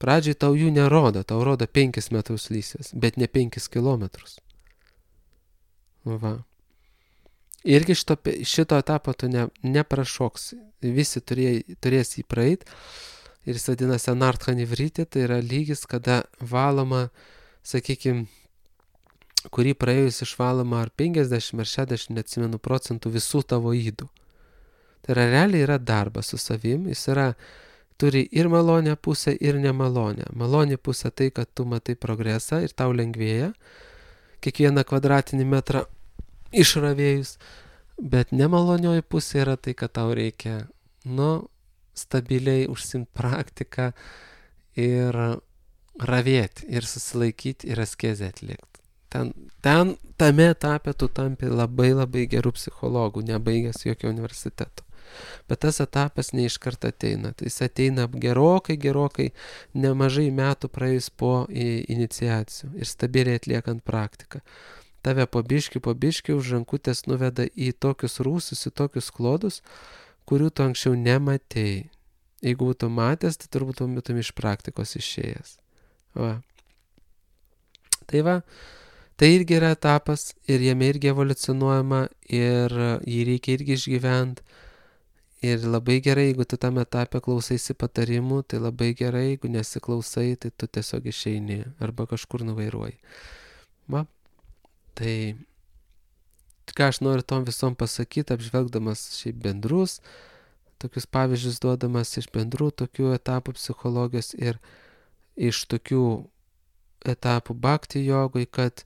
Pradžiai tau jų nerodo, tau rodo 5 metrus lysvės, bet ne 5 kilometrus. Va. Irgi šito etapo tu neprašoksi. Visi turės jį praeit. Ir jis vadinasi anarthanivritė, tai yra lygis, kada valoma, sakykime, kurį praėjus išvaloma ar 50 ar 60, neatsimenu, procentų visų tavo ydų. Tai yra realiai yra darbas su savim, jis turi ir malonę pusę, ir nemalonę. Malonė pusė tai, kad tu matai progresą ir tau lengvėja kiekvieną kvadratinį metrą išravėjus, bet nemalonioji pusė yra tai, kad tau reikia, stabiliai užsimti praktiką ir ravėti, ir susilaikyti, ir askezę atlikti. Tame etape tu tampi labai labai gerų psichologų, nebaigęs jokio universiteto. Bet tas etapas ne iš karto ateina. Tai jis ateina gerokai, nemažai metų praėjus po iniciacijų ir stabiliai atliekant praktiką. Tave po biškį už rankutės nuveda į tokius rūsius, į tokius klodus, kurių tu anksčiau nematėjai. Jeigu būtų matęs, tai turbūt būtum iš praktikos išėjęs. Va. Tai irgi yra etapas ir jame irgi evoliucionuojama ir jį reikia irgi išgyventi. Ir labai gerai, jeigu tu tam etape klausaisi patarimų, tai labai gerai, jeigu nesiklausai, tai tu tiesiog išeini arba kažkur nuvairuoji. Va. Tai ką aš noriu tom visom pasakyti, apžvelgdamas šiaip bendrus, tokius pavyzdžius duodamas iš bendrų tokių etapų psichologijos ir iš tokių etapų bhakti jogoj, kad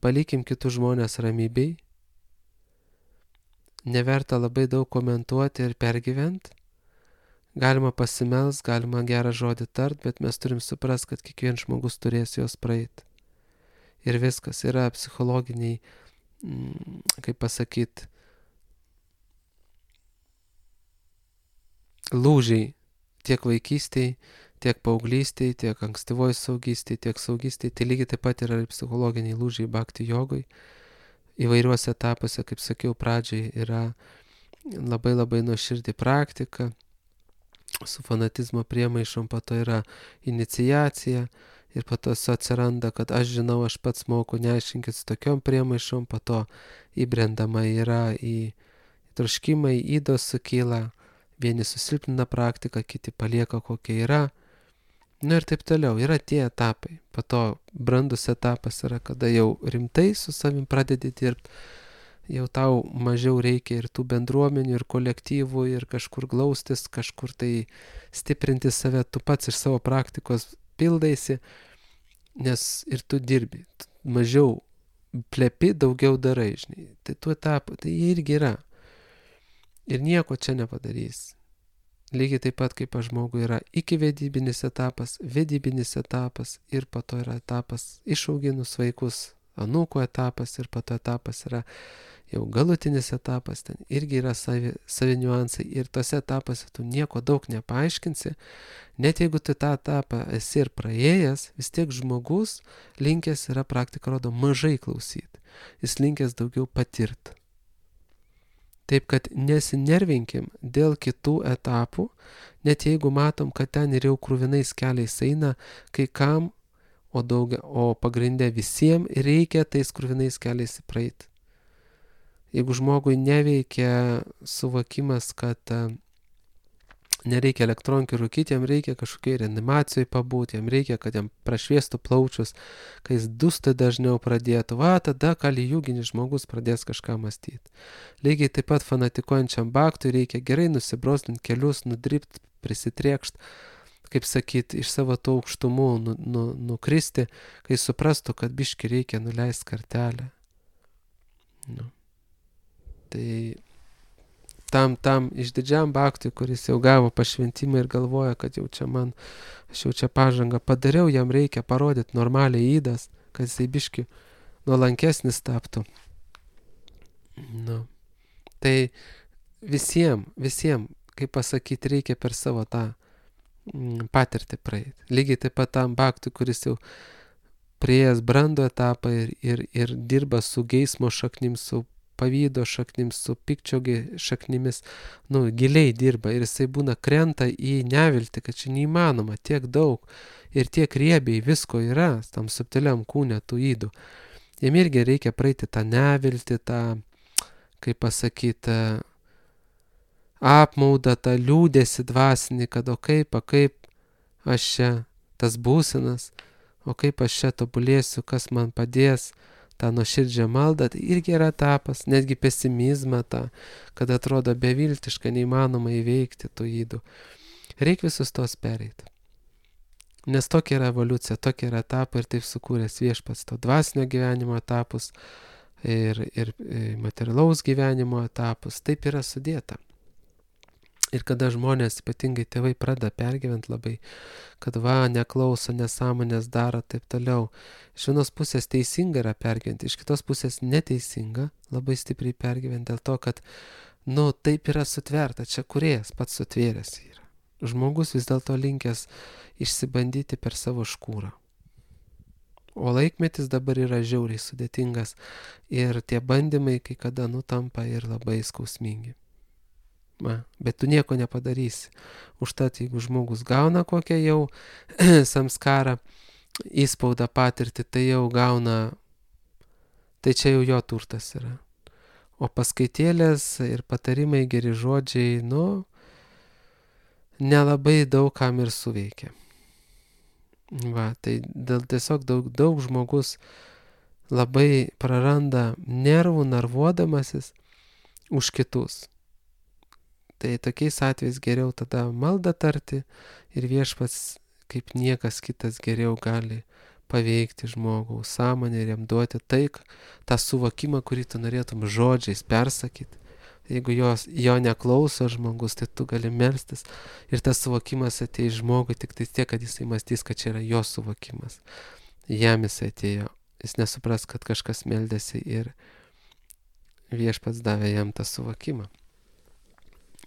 palikim kitus žmonės ramybei. Neverta labai daug komentuoti ir pergyventi, galima pasimels, galima gerą žodį tart, bet mes turim suprast, kad kiekvienas žmogus turės jos praeiti. Ir viskas yra psichologiniai, kaip pasakyt, lūžiai tiek vaikystėj, tiek paauglystėj, tiek ankstyvoj saugystėj, tiek saugystėj. Tai lygiai taip pat yra ir psichologiniai lūžiai bhakti jogoj. Įvairiuose etapuose, kaip sakiau pradžiai, yra labai labai nuoširdi praktika, su fanatizmo priemaišom, po to yra iniciacija ir po to atsiranda, kad aš žinau, aš pats moku, neaiškinkit su tokiom priemaišom, po to įbrendama yra į troškimai, įdos sukyla, vieni susilpnina praktiką, kiti palieka kokia yra. Nu ir taip toliau, yra tie etapai. Po to brandus etapas yra, kada jau rimtai su savim pradedi dirbti, jau tau mažiau reikia ir tų bendruomenių, ir kolektyvų, ir kažkur glaustis, kažkur tai stiprinti save, tu pats iš savo praktikos pildaisi, nes ir tu dirbi. Mažiau plepi, daugiau darai, žinai. Tai tų etapų, tai jie irgi yra. Ir nieko čia nepadarys. Lygiai taip pat kaip žmogui yra iki vedybinis etapas, vedybinis etapas ir po to yra etapas išauginus vaikus, anūkų etapas ir po to etapas yra jau galutinis etapas, ten irgi yra savi niuansai ir tose etapuose tu nieko daug nepaaiškinsi, net jeigu tu tą etapą esi ir praėjęs, vis tiek žmogus linkęs yra, praktika rodo, mažai klausyti, jis linkęs daugiau patirti. Taip kad nesinervinkim dėl kitų etapų, net jeigu matom, kad ten ir jau krūvinais keliais eina, kai kam, o pagrinde visiems reikia tais krūvinais keliais praeiti. Jeigu žmogui neveikia suvokimas, kad nereikia elektronkių rūkyti, jam reikia kažkokiai reanimacijai pabūti, jam reikia, kad jam prašviestų plaučius, kai jis dūstai dažniau pradėtų, tada kalijuginis žmogus pradės kažką mąstyti. Lygiai taip pat fanatikuojančiam bhaktui reikia gerai nusibrosdinti kelius, nudribti, prisitriekšti, kaip sakyti, iš savo tų aukštumų nukristi, kai suprastų, kad biški reikia nuleisti kartelę. Tai tam išdidžiam bhaktui, kuris jau gavo pašventimą ir galvoja, kad jau čia aš jau čia pažangą padariau, jam reikia parodyti normaliai įdas, kad jisai biški nuolankesnis taptų. Tai visiems, kaip pasakyti, reikia per savo tą patirtį praeiti. Lygiai taip pat tam bhaktui, kuris jau prieėjęs brando etapą ir dirba su geismo šaknim, su pavydo šaknim, su pykčio šaknimis, giliai dirba ir jisai būna krenta į neviltį, kad čia neįmanoma, tiek daug ir tiek riebiai visko yra, tam subtiliam kūne tų ydų. Jam irgi reikia praeiti tą neviltį, tą, kaip pasakyti, apmaudą, tą liūdėsi dvasinį, kad o kaip aš čia tas būsinas, o kaip aš čia tobulėsiu, kas man padės, tą nuoširdžią maldą, tai irgi yra etapas, netgi pesimizmą tą, kad atrodo beviltiška, neįmanoma įveikti tų ydų. Reikia visus tos pereiti. Nes tokia yra evoliucija, tokia yra etapai ir taip sukūręs viešpats to dvasinio gyvenimo etapus ir materialaus gyvenimo etapus, taip yra sudėta. Ir kada žmonės, ypatingai tėvai, pradeda pergyventi labai, kad neklauso, nesąmonės daro, taip toliau. Iš vienos pusės teisinga yra pergyventi, iš kitos pusės neteisinga, labai stipriai pergyventi dėl to, kad, taip yra sutverta, čia kūrėjas pats sutvėręs yra. Žmogus vis dėlto linkęs išsibandyti per savo škūrą. O laikmetis dabar yra žiauriai sudėtingas ir tie bandymai kai kada tampa ir labai skausmingi. Bet tu nieko nepadarysi. Užtat, jeigu žmogus gauna kokią jau samskarą, įspaudą patirtį, tai jau gauna, tai čia jau jo turtas yra. O paskaitėlės ir patarimai, geri žodžiai, nelabai daug kam ir suveikia. Tai tiesiog daug žmogus labai praranda nervų, narvuodamasis už kitus. Tai tokiais atvejais geriau tada maldą tarti ir viešpats kaip niekas kitas geriau gali paveikti žmogaus sąmonę ir jam duoti tą suvokimą, kurį tu norėtum žodžiais persakyti, Jeigu jo neklauso žmogus, tai tu gali melstis. Ir tas suvokimas ateis žmogui tik tai tiek, kad jisai mąstys, kad čia yra jo suvokimas. Jam jisai atėjo. Jis nesupras, kad kažkas meldėsi ir Viešpats davė jam tą suvokimą.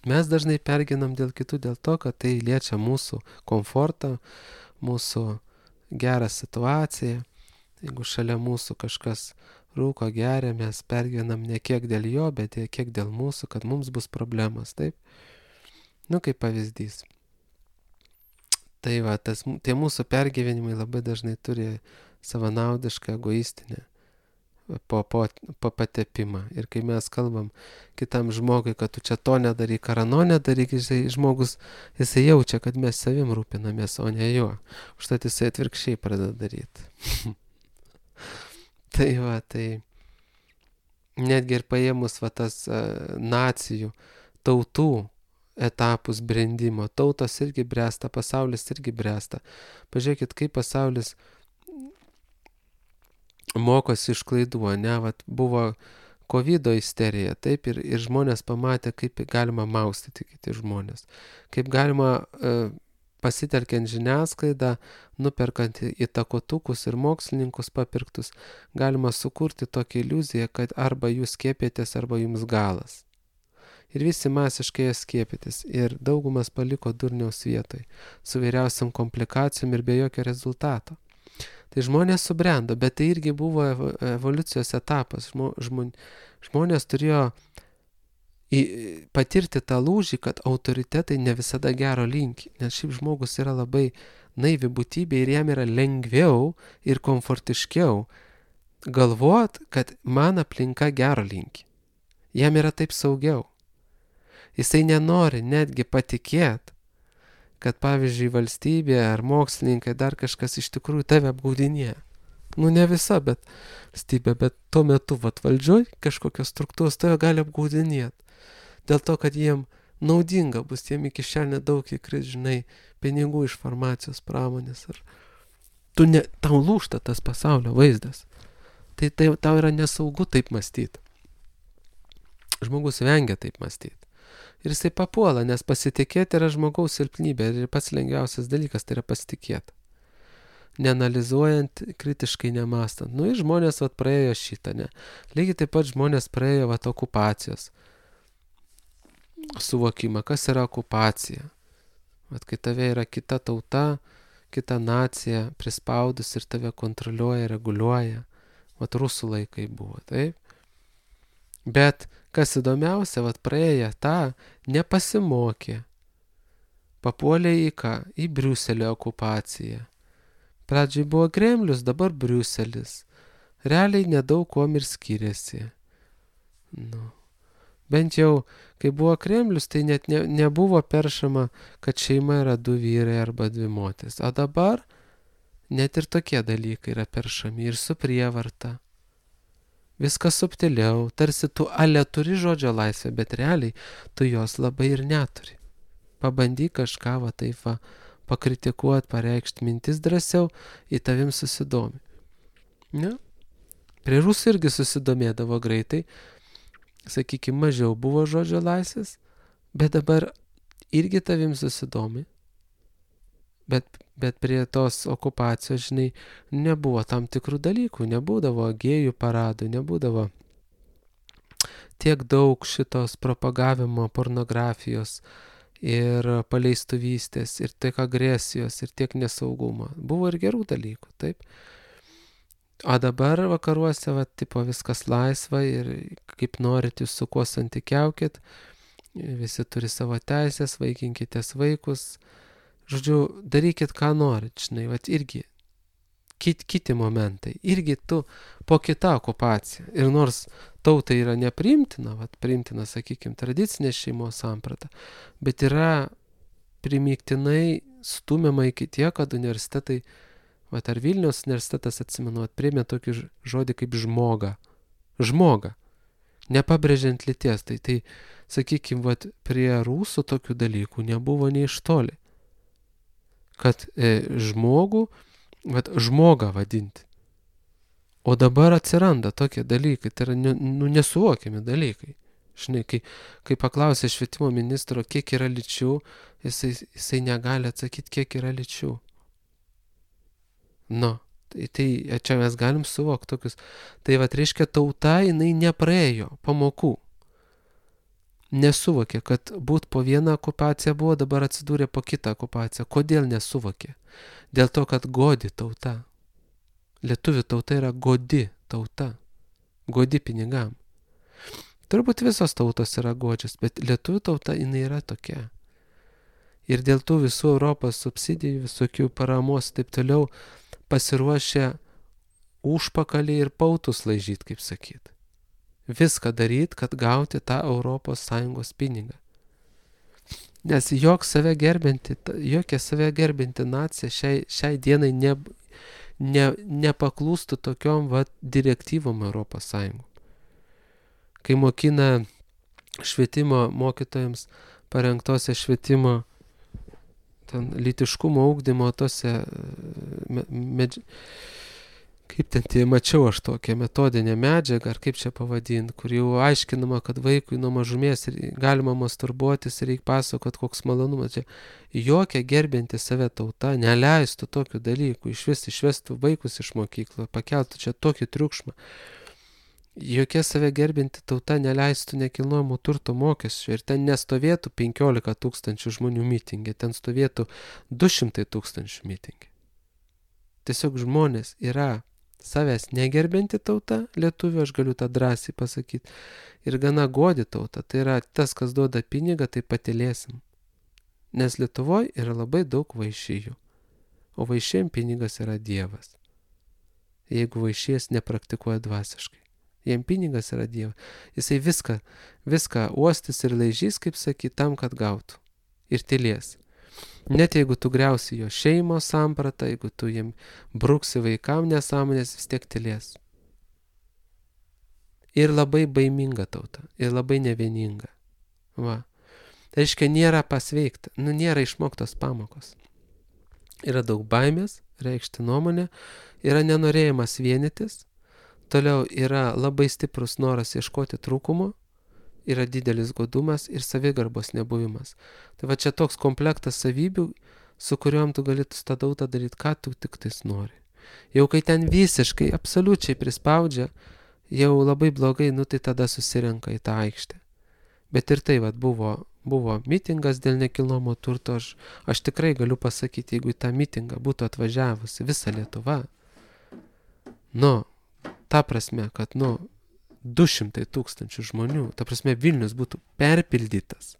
Mes dažnai perginam dėl kitų, dėl to, kad tai liečia mūsų komfortą, mūsų gerą situaciją. Jeigu šalia mūsų kažkas rūko, geria, mes pergyvenam ne kiek dėl jo, bet kiek dėl mūsų, kad mums bus problemas, taip? Kaip pavyzdys. Tai va, tie mūsų pergyvenimai labai dažnai turi savanaudišką, egoistinę patepimą. Ir kai mes kalbam kitam žmogui, kad tu čia to nedaryk, ar ano nedaryk, žmogus, jisai jaučia, kad mes savim rūpinamės, o ne juo. Užtat jisai atvirkščiai pradeda daryti. Tai va, tai netgi ir paėmus va tas nacijų, tautų etapus brendimo, tautos irgi bręsta, pasaulis irgi bręsta. Pažiūrėkit, kaip pasaulis mokosi iš klaidų, ne, vat buvo COVID isterija, taip, ir žmonės pamatė, kaip galima maustyti kiti žmonės, kaip galima pasitelkiant žiniasklaidą, nuperkant įtakotukus ir mokslininkus papirktus, galima sukurti tokią iliuziją, kad arba jūs skiepėtės, arba jums galas. Ir visi masiškai skiepytis, ir daugumas paliko durniaus vietoj, su vyriausiam komplikacijom ir be jokio rezultato. Tai žmonės subrendo, bet tai irgi buvo evoliucijos etapas. Žmonės turėjo patirti tą lūžį, kad autoritetai ne visada gero linki, nes šiaip žmogus yra labai naivi būtybė ir jam yra lengviau ir komfortiškiau galvot, kad man aplinka gero linki. Jam yra taip saugiau. Jisai nenori netgi patikėti, kad pavyzdžiui valstybė ar mokslininkai dar kažkas iš tikrųjų tave apgaudinėja. Ne visa, bet valstybė, bet tuo metu valdžioj kažkokios struktūros tave gali apgaudinėti. Dėl to, kad jiem naudinga bus, jiem iki šiandien daug įkris, pinigų iš farmacijos pramonės. Tau lūžta tas pasaulio vaizdas. Tai tau yra nesaugu taip mąstyti. Žmogus vengia taip mąstyti. Ir jisai papuola, nes pasitikėti yra žmogaus silpnybė ir pats lengviausias dalykas tai yra pasitikėti. Neanalizuojant, kritiškai nemastant. Ir žmonės praėjo šitą, ne. Lygiai taip pat žmonės praėjo okupacijos suvokimą, kas yra okupacija. Kai tave yra kita tauta, kita nacija prispaudus ir tave kontroliuoja, reguliuoja. Rusų laikai buvo, taip? Bet kas įdomiausia, praėję tą, nepasimokė. Papuolė į ką? Į Briuselio okupaciją. Pradžiai buvo Kremlius, dabar Briuselis. Realiai nedaug kuom ir skiriasi. Bent jau, kai buvo Kremlius, tai net nebuvo peršama, kad šeima yra 2 vyrai arba 2 moterys. O dabar net ir tokie dalykai yra peršami ir su prievarta. Viskas subtiliau, tarsi tu turi žodžio laisvę, bet realiai tu jos labai ir neturi. Pabandyk kažką pakritikuoti, pareikšti mintis drąsiau, į tavim susidomi. Ne? Prie rusų irgi susidomėdavo greitai, sakykime, mažiau buvo žodžio laisvės, bet dabar irgi tavim susidomi. Bet prie tos okupacijos, nebuvo tam tikrų dalykų, nebūdavo gėjų paradų, nebūdavo tiek daug šitos propagavimo pornografijos ir paleistuvystės, ir tiek agresijos, ir tiek nesaugumo. Buvo ir gerų dalykų, taip. O dabar vakaruose, viskas laisva ir kaip norit jūs su kuo santykiaukit, visi turi savo teisės, vaikinkitės vaikus. Žodžiu, darykit, ką norit, irgi kiti momentai, irgi tu po kitą okupaciją. Ir nors tautai yra nepriimtina, priimtina, sakykime, tradicinė šeimos samprata, bet yra primygtinai stumiama iki tiek, kad universitetai, ar Vilniaus universitetas, atsimenu, priėmė tokį žodį kaip žmoga. Žmoga. Nepabrėžiant lyties. Tai sakykime, prie rusų tokių dalykų nebuvo nei iš toli. Kad žmogų, žmogą vadinti. O dabar atsiranda tokie dalykai, tai yra nesuvokiami dalykai. Žinai, kai paklausė švietimo ministro, kiek yra lyčių, jisai negali atsakyti, kiek yra lyčių. Tai čia mes galim suvokti tokius. Tai reiškia, tauta, jinai nepraėjo pamokų. Nesuvokė, kad būt po vieną okupaciją buvo, dabar atsidūrė po kitą okupaciją. Kodėl nesuvokė? Dėl to, kad godi tauta. Lietuvių tauta yra godi tauta. Godi pinigam. Turbūt visos tautos yra godžios, bet lietuvių tauta jinai yra tokia. Ir dėl tų visų Europos subsidijų, visokių paramos taip toliau pasiruošę užpakalį ir pautus laižyti, kaip sakyt. Viską daryti, kad gauti tą ES pinigą. Nes jokia save gerbinti nacija šiai dienai nepaklūstų tokiom direktyvom ES. Kai mokina švietimo mokytojams parengtose švietimo lytiškumo ugdymo tose kaip ten mačiau aš tokią metodinę medžiagą, ar kaip čia pavadinti, kur jau aiškinama, kad vaikui nuo mažumės galima masturbuotis ir reikia pasakot, koks malonumas. Jokia gerbinti save tauta neleistų tokių dalykų, išvestų vaikus iš mokyklos, pakeltų čia tokį triukšmą. Jokia save gerbinti tauta neleistų nekilnojamo turto mokesčių ir ten nestovėtų 15 000 žmonių mitingė, ten stovėtų 200 000 mitingė. Tiesiog žmonės yra savęs negerbinti tauta, lietuvių, aš galiu tą drąsiai pasakyti, ir gana godi tauta, tai yra tas, kas duoda pinigą, tai patylėsim. Nes Lietuvoje yra labai daug vaišijų, o vaišėjim pinigas yra Dievas. Jeigu vaišėjas nepraktikuoja dvasiškai. Jiem pinigas yra Dievas. Jisai viską uostys ir laižys, kaip sakyt, tam, kad gautų. Ir tylės. Net jeigu tu griausi jo šeimos sampratą, jeigu tu jiem bruksi vaikam nesąmonės, vis tiek tylės. Ir labai baiminga tauta. Ir labai nevieninga. Va. Tai reiškia, nėra pasveikta. Nėra išmoktos pamokos. Yra daug baimės, reikšti nuomonę. Yra nenorėjimas vienytis. Toliau yra labai stiprus noras ieškoti trūkumo, yra didelis godumas ir savigarbos nebuvimas. Tai čia toks komplektas savybių, su kuriuom tu gali su tą tautą daryti, ką tu tik tais nori. Jau kai ten visiškai, absoliučiai prispaudžia, jau labai blogai, tai tada susirenka į tą aikštę. Bet ir tai buvo mitingas dėl nekilnojamo turto, aš tikrai galiu pasakyti, jeigu į tą mitingą būtų atvažiavusi visa Lietuva, ta prasme, kad 200 000 žmonių, ta prasme Vilnius būtų perpildytas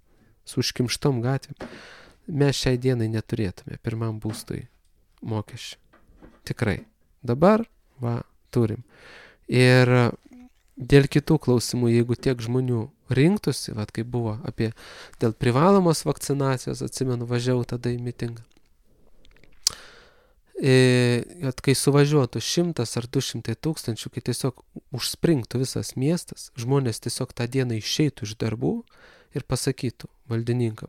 su užkimštom gatvėm, mes šiai dienai neturėtume pirmam būstui mokesčių. Tikrai. Dabar, turim. Ir dėl kitų klausimų, jeigu tiek žmonių rinktųsi, kaip buvo dėl privalomos vakcinacijos, atsimenu, važiavau tada į mitingą. Kai suvažiuotų 100 ar 200 000, kai tiesiog užspringtų visas miestas, žmonės tiesiog tą dieną išeitų iš darbų ir pasakytų valdininkam,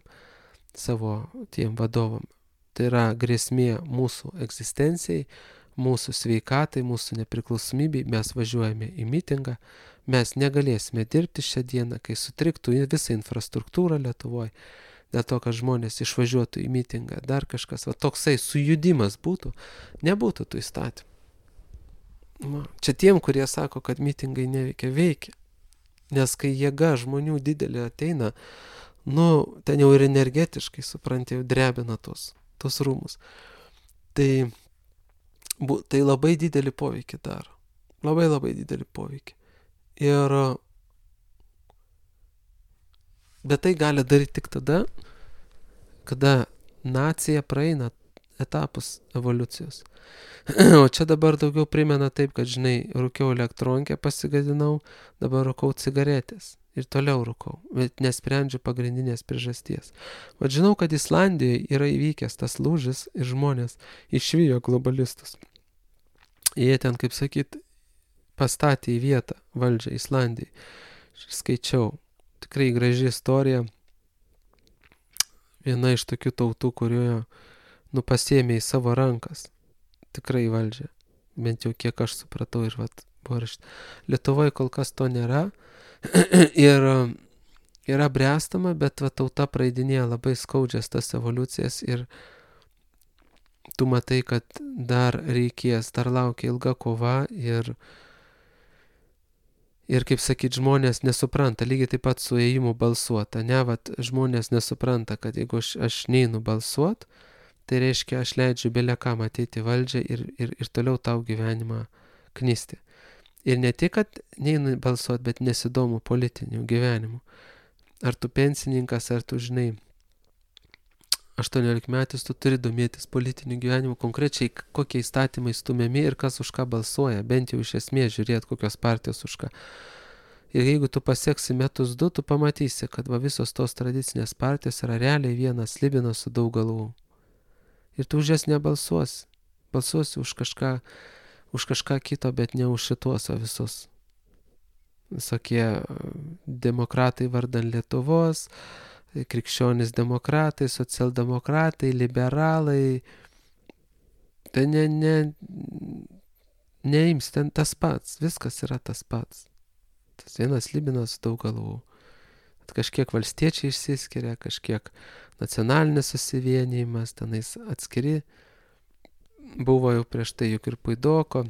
savo tiem vadovam, tai yra grėsmė mūsų egzistencijai, mūsų sveikatai, mūsų nepriklausomybei, mes važiuojame į mitingą, mes negalėsime dirbti šią dieną, kai sutriktų visą infrastruktūrą Lietuvoje, dėl to, kad žmonės išvažiuotų į mitingą, dar kažkas, toksai sujudimas būtų, nebūtų tų įstatymų. Čia tiem, kurie sako, kad mitingai neveikia, veikia. Nes kai jėga žmonių didelė ateina, ten jau ir energetiškai, supranti, jau drebina tos rūmus. Tai labai didelį poveikį daro. Labai labai didelį poveikį. Bet tai gali daryti tik tada, kada nacija praeina etapus evoliucijos. O čia dabar daugiau primena taip, kad, žinai, rūkiau elektronkę, pasigadinau, dabar rūkau cigaretės ir toliau rūkau, bet nesprendžiu pagrindinės priežasties. Žinau, kad Islandijoje yra įvykęs tas lūžis ir žmonės išvijo globalistus. Jie ten, kaip sakyt, pastatė į vietą valdžią Islandijai. Skaičiau. Tikrai graži istorija. Viena iš tokių tautų, kurioje pasiėmė į savo rankas. Tikrai valdžią. Bent jau kiek aš supratau ir buvo rašta. Lietuvoje kol kas to nėra. Ir yra bręstama, bet va, tauta praeidinėja labai skaudžias tas evoliucijas ir tu matai, kad dar reikės, dar laukia ilga kova ir kaip sakyt, žmonės nesupranta, lygiai taip pat su ėjimu balsuota, ne, vat, žmonės nesupranta, kad jeigu aš neinu balsuot, tai reiškia, aš leidžiu belekam ateiti į valdžią ir toliau tau gyvenimą knisti. Ir ne tik, kad neinu balsuot, bet nesidomu politiniu gyvenimu. Ar tu pensininkas, ar tu žinai, 18 metais tu turi domėtis politiniu gyvenimu, konkrečiai kokie įstatymai stumiami ir kas už ką balsuoja, bent jau iš esmės žiūrėti, kokios partijos už ką. Ir jeigu tu pasieksi metus 2, tu pamatysi, kad va, visos tos tradicinės partijos yra realiai vienas slibinas su daug galvų. Ir tu už jas nebalsuosi. Balsuosi už kažką kito, bet ne už šitos visus. Visokie demokratai vardan Lietuvos, krikščionys demokratai, socialdemokratai, liberalai. Tai neims, ten tas pats, viskas yra tas pats. Tas vienas slibinas daug galvų. Kažkiek valstiečiai išsiskiria, kažkiek nacionalinis susivienijimas, tenais atskiri. Buvo jau prieš tai juk ir Puidoko.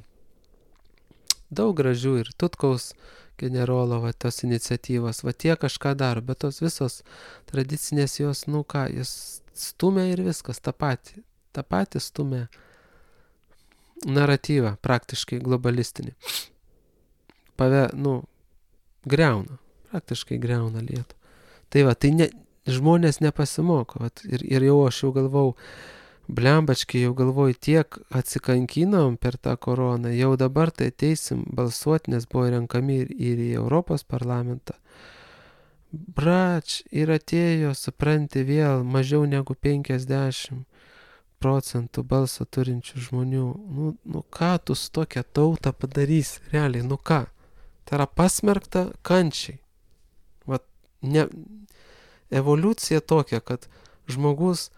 Daug gražių ir Tutkaus generolo, va, tos iniciatyvos, va, tie kažką daro, bet tos visos tradicinės jos, jos stumia ir viskas, tą patį stumia naratyvą, praktiškai globalistinį. Praktiškai greuna Lietuvą. Tai va, tai žmonės nepasimoko, va, ir jau aš jau galvau, blembačkiai, jau galvoju, tiek atsikankinom per tą koroną, jau dabar tai ateisim balsuoti, nes buvo renkami ir į Europos parlamentą. Brač, ir atėjo, supranti, vėl mažiau negu 50% balso turinčių žmonių. Ką tu su tokia tauta padarysi? Realiai, ką? Tai yra pasmerkta kančiai. Vat, evoliucija tokia, kad žmogus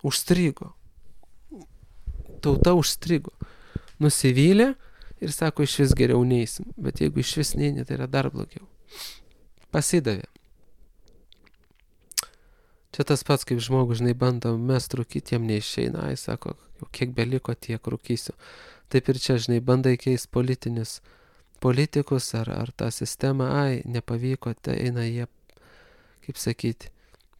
užstrigo. Tauta užstrigo. Nusivylė ir sako, iš vis geriau neisim. Bet jeigu iš vis neini, tai yra dar blogiau. Pasidavė. Čia tas pats, kaip žmogus, žinai, bando mest rūkyti, jam neišeina. Ai, sako, jau kiek beliko, tiek rūkysiu. Taip ir čia, žinai, bandai keist politikus ar tą sistemą. Ai, nepavyko, tai eina jie, kaip sakyti,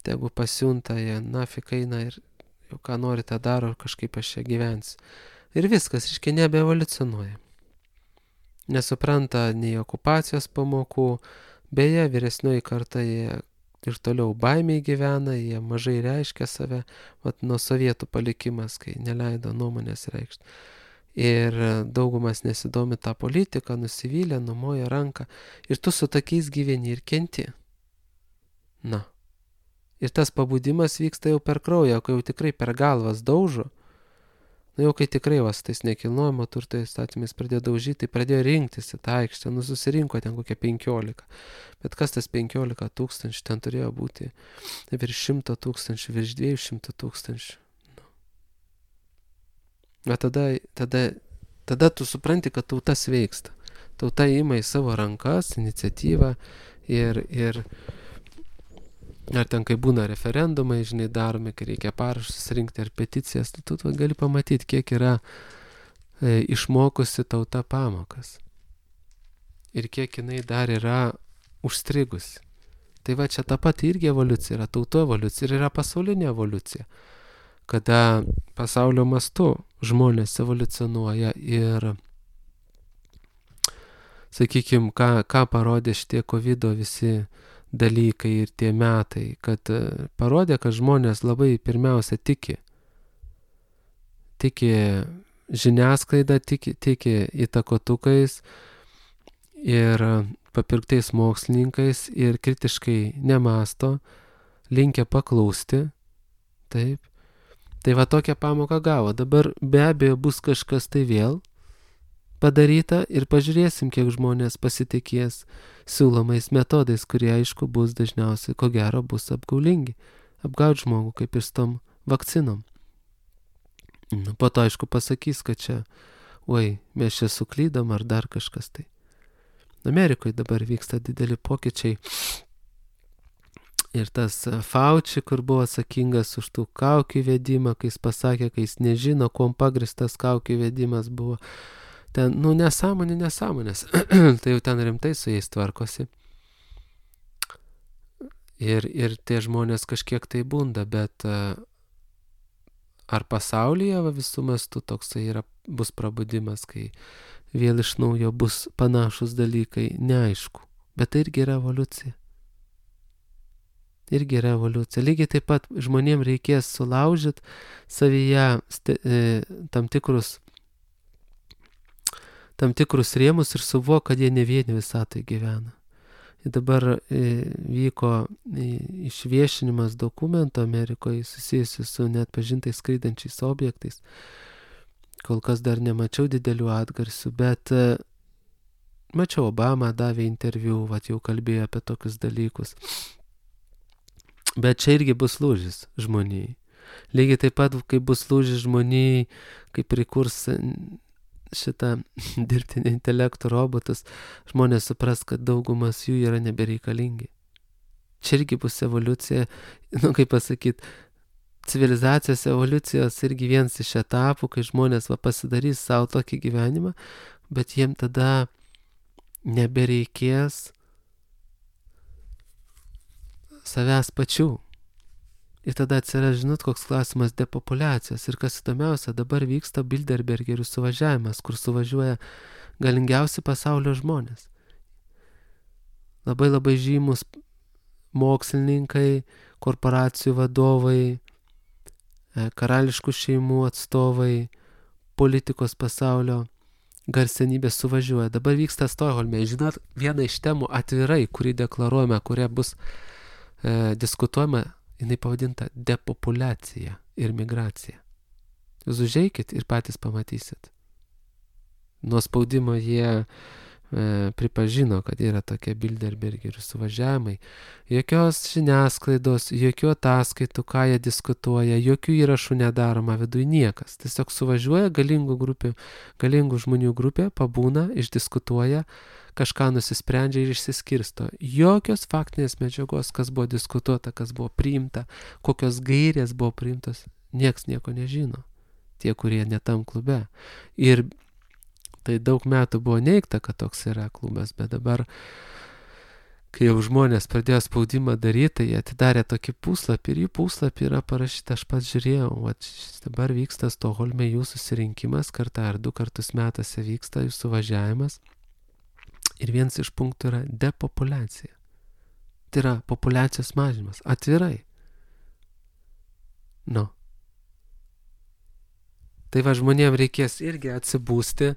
tegu pasiunta, jie nafik eina ir jau ką nori tą daro, kažkaip aš čia gyvensiu. Ir viskas, reiškia, nebeevoliucionuoja. Nesupranta nei okupacijos pamokų, beje, vyresnioji karta jie ir toliau baimiai gyvena, jie mažai reiškia save, vat nuo sovietų palikimas, kai neleido nuomonės reikšti. Ir daugumas nesidomi tą politiką, nusivylę, numoja ranką. Ir tu su tokiais gyveni ir kenti. Ir tas pabudimas vyksta jau per kraują, kai jau tikrai per galvas daužo. Jau kai tikrai vas tais nekilnojamo turto įstatymais pradėjo daužyti, tai pradėjo rinktis į tą aikštę. Susirinko ten kokie 15. Bet kas tas 15 000, ten turėjo būti virš 100 000, virš 200 000. Bet tada tu supranti, kad tauta sveiksta. Tauta ima į savo rankas iniciatyvą ir ar ten, kai būna referendumai, žinai, daromi, kai reikia parašus rinkti ar peticijas, tu gali pamatyti, kiek yra išmokusi tauta pamokas. Ir kiek jinai dar yra užstrigusi. Tai va, čia ta pati irgi evoliucija, yra tautų evoliucija ir yra pasaulinė evoliucija. Kada pasaulio mastu žmonės evoliucionuoja ir, sakykime, ką parodė šitie COVID visi dalykai ir tie metai, kad parodė, kad žmonės labai pirmiausia tiki žiniasklaida, tiki įtakotukais ir papirktais mokslininkais ir kritiškai nemąsto, linkę paklausti. Taip. Tai va tokią pamoką gavo. Dabar be abejo bus kažkas tai vėl padaryta ir pažiūrėsim, kiek žmonės pasitikės siūlomais metodais, kurie, aišku, bus dažniausiai, ko gero, bus apgaulingi. Apgaut žmogų, kaip ir su tom vakcinom. Po to, aišku, pasakys, kad čia, mes čia suklydom ar dar kažkas tai. Amerikoje dabar vyksta dideli pokyčiai. Ir tas Fauci, kur buvo atsakingas už tų kaukių įvedimą, kai jis pasakė, kai jis nežino, kuom pagristas kaukių įvedimas buvo. Ten, nesąmonės. Tai jau ten rimtai su jais tvarkosi. Ir tie žmonės kažkiek tai bunda, bet ar pasaulyje visų mastų toksai bus prabudimas, kai vėl iš naujo bus panašus dalykai, neaišku. Bet tai irgi yra evoliucija. Lygiai taip pat žmonėms reikės sulaužyti savyje tam tikrus rėmus ir suvok, kad jie ne vieni visatai gyvena. Ir dabar vyko išviešinimas dokumento Amerikoje susijusiu su neatpažintais skraidančiais objektais. Kol kas dar nemačiau didelių atgarsių, bet mačiau, Obama davė interviu, jau kalbėjo apie tokius dalykus. Bet čia irgi bus lūžis žmonijai. Lygiai taip pat, kai bus lūžis žmonijai, kai prikurs šitą dirbtinį intelektų robotus, žmonės supras, kad daugumas jų yra nebereikalingi. Čia irgi bus evoliucija, kaip pasakyti, civilizacijos evoliucijos irgi vienas iš etapų, kai žmonės pasidarys savo tokį gyvenimą, bet jiem tada nebereikės savęs pačių. Ir tada atsiras, koks klausimas depopulacijos. Ir kas įdomiausia, dabar vyksta Bilderbergerių suvažiavimas, kur suvažiuoja galingiausi pasaulio žmonės. Labai labai žymus mokslininkai, korporacijų vadovai, karališkų šeimų atstovai, politikos pasaulio garsenybės suvažiuoja. Dabar vyksta Stokholme. Žinot, viena iš temų atvirai, kurį deklaruojame, kuria bus diskutuojama, jinai pavadinta depopulacija ir migracija. Jūs užeikit ir patys pamatysit. Nuo spaudimo jie pripažino, kad yra tokie Bilderbergerių suvažiavimai. Jokios žiniasklaidos, jokių ataskaitų, ką jie diskutuoja, jokių įrašų nedaroma viduj niekas. Tiesiog suvažiuoja galingų žmonių grupė, pabūna, išdiskutuoja, kažką nusisprendžia ir išsiskirsto. Jokios faktinės medžiagos, kas buvo diskutuota, kas buvo priimta, kokios gairės buvo priimtos, nieks nieko nežino. Tie, kurie netam klube. Ir tai daug metų buvo neigta, kad toks yra klubas, bet dabar, kai jau žmonės pradėjo spaudimą daryti, tai jie atidarė tokį puslapį ir jų puslapį yra parašyta, aš pats žiūrėjau, dabar vyksta Stokholme jų susirinkimas, kartą ar 2 kartus metuose vyksta jų suvažiavimas. Ir vienas iš punktų yra depopulacija. Tai yra populiacijos mažinimas. Atvirai. Tai žmonėms reikės irgi atsibūsti,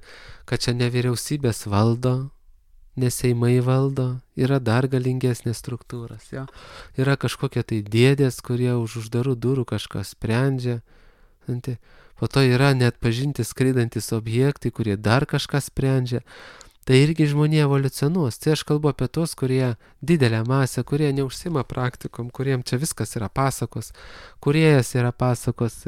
kad čia ne vyriausybės valdo, ne seimai valdo, yra dar galingesnės struktūros. Jo? Yra kažkokie tai dėdės, kurie už uždarų durų kažką sprendžia. Po to yra neatpažinti skraidantis objektai, kurie dar kažką sprendžia. Tai irgi žmonė evoliucionuos. Tai aš kalbu apie tos, kurie didelę masę, kurie neužsima praktikom, kuriem čia viskas yra pasakos, kuriejas yra pasakos,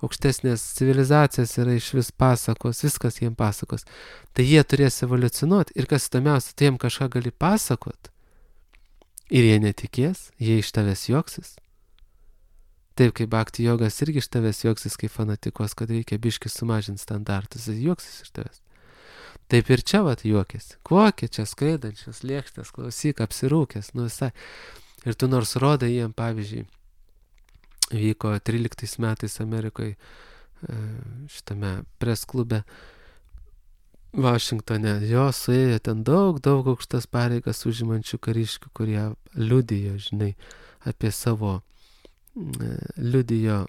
aukštesnės civilizacijos yra iš vis pasakos, viskas jiem pasakos. Tai jie turės evoliucionuoti ir kas įdomiausia, tai jiem kažką gali pasakot. Ir jie netikės, jie iš tavęs juoksis. Taip kaip bhakti jogas irgi iš tavęs juoksis, kaip fanatikos, kad reikia biškį sumažinti standartus, jis juoksis iš tavęs. Taip ir čia juokėsi. Kokie čia skraidančios lėkštės, klausyk, apsirūkęs, visai. Ir tu nors rodai jiem, pavyzdžiui, vyko 13 metais Amerikoje šitame presklube Vašingtone. Jo suėjo ten daug aukštas pareigas užimančių kariškių, kurie liudijo, apie savo liudijo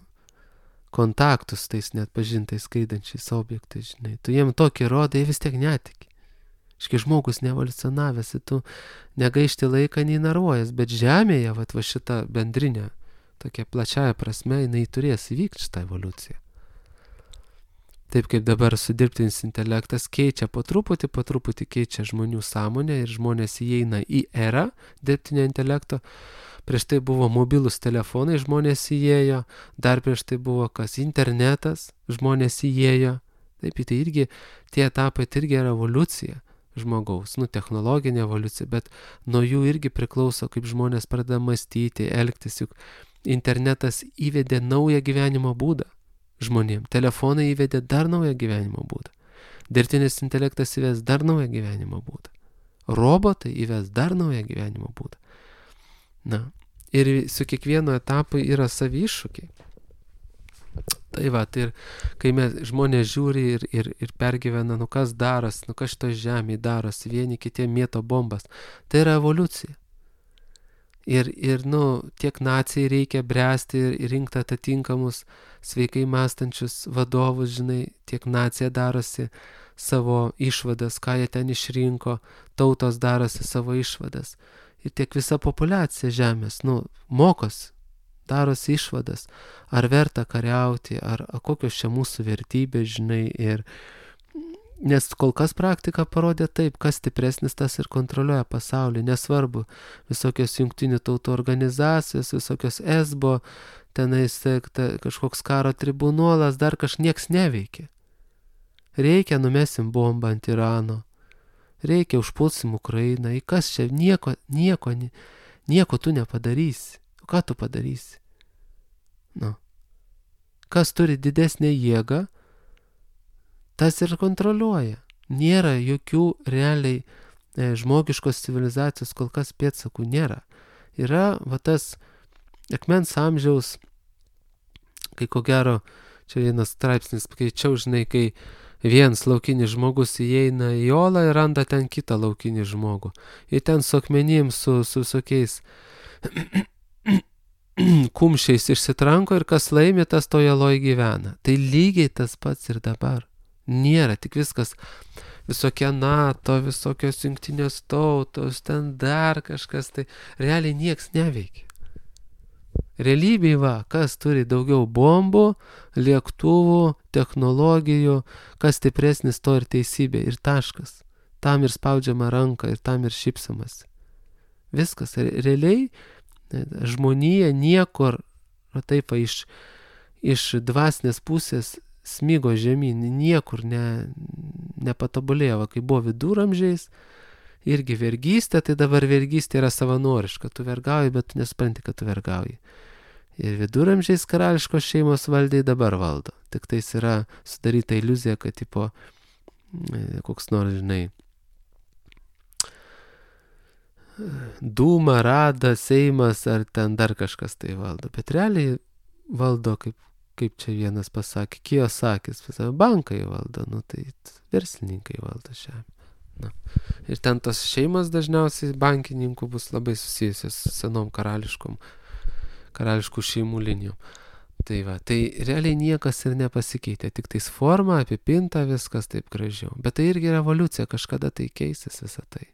kontaktus tais neatpažintais skraidančiais objektais, Tu jiem tokį rodai, vis tiek netiki. Žmogus neevoliucionavęs, tu negaišti laiką nei narvuojas, bet žemėje, šita bendrinė, tokia plačiaja prasme, jinai turės įvykti šitą evoliuciją. Taip kaip dabar su dirbtinis intelektas keičia po truputį keičia žmonių sąmonę ir žmonės įeina į erą dirbtinio intelekto. Prieš tai buvo mobilūs telefonai, žmonės įėjo, dar prieš tai buvo internetas, žmonės įėjo. Taip, tai irgi tie etapai, tai irgi yra evoliucija. žmogaus, technologinė evoliucija, bet nuo jų irgi priklauso, kaip žmonės pradeda mąstyti, elgtis, juk internetas įvedė naują gyvenimo būdą žmonėm, telefonai įvedė dar naują gyvenimo būdą, dirbtinis intelektas įves dar naują gyvenimo būdą, robotai įves dar naują gyvenimo būdą. Ir su kiekvienu etapu yra savi iššūkiai. Tai va, tai ir kai žmonės žiūri ir pergyvena, kas daros, kas šito žemėje darosi, vieni kitiem mėto bombas, tai yra evoliucija. Ir tiek nacijai reikia bręsti ir rinkti atitinkamus sveikai mąstančius vadovus, tiek nacija darosi savo išvadas, ką jie ten išrinko, tautos darosi savo išvadas. Ir tiek visa populiacija žemės, mokosi, darosi išvadas, ar verta kariauti, ar kokios čia mūsų vertybės, nes kol kas praktika parodė taip, kas stipresnis, tas ir kontroliuoja pasaulį, nesvarbu, visokios jungtinių tautų organizacijos, visokios ESBO, tenais kažkoks karo tribunolas, dar nieks neveikia. Reikia, numesim bombą ant Irano, reikia, užpulsim Ukrainą, kas čia, nieko tu nepadarysi. Ką tu padarysi? Kas turi didesnę jėgą, tas ir kontroliuoja. Nėra jokių realiai žmogiškos civilizacijos kol kas pėdsakų nėra. Yra tas akmens amžiaus, kai ko gero, čia vienas straipsnis skaičiau, kai vienas laukinis žmogus įeina į olą ir randa ten kitą laukinį žmogų. Ir ten su akmenim, su visokiais kumščiais išsitranko ir kas laimi, tas toje loj gyvena. Tai lygiai tas pats ir dabar. Nėra, tik viskas, visokie NATO, visokios jungtinės tautos, ten dar kažkas, tai realiai nieks neveikia. Realybėje kas turi daugiau bombų, lėktuvų, technologijų, kas stipresnis, to ir teisybė, ir taškas. Tam ir spaudžiama ranka, ir tam ir šypsamas. Viskas, realiai žmonija niekur, taip, iš dvasinės pusės smygo žemyn, niekur nepatobulėjo, kai buvo viduramžiais, irgi vergystė, tai dabar vergystė yra savanoriška, tu vergauji, bet tu nesupranti, kad tu vergauji. Ir viduramžiais karališkos šeimos valdai dabar valdo, tik tais yra sudaryta iliuzija, kad koks nors, Dūma, Rada, Seimas ar ten dar kažkas tai valdo, bet realiai valdo, kaip čia vienas pasakė, Kiyosakis, bankai valdo, tai verslininkai valdo žemę. Ir ten tos šeimas dažniausiai bankininkų bus labai susijusios su senom karališkų šeimų linijom. Tai va, tai realiai niekas ir nepasikeitė, tik tais forma, apipinta, viskas taip gražiau. Bet tai irgi revoliucija, kažkada tai keisis visą tai.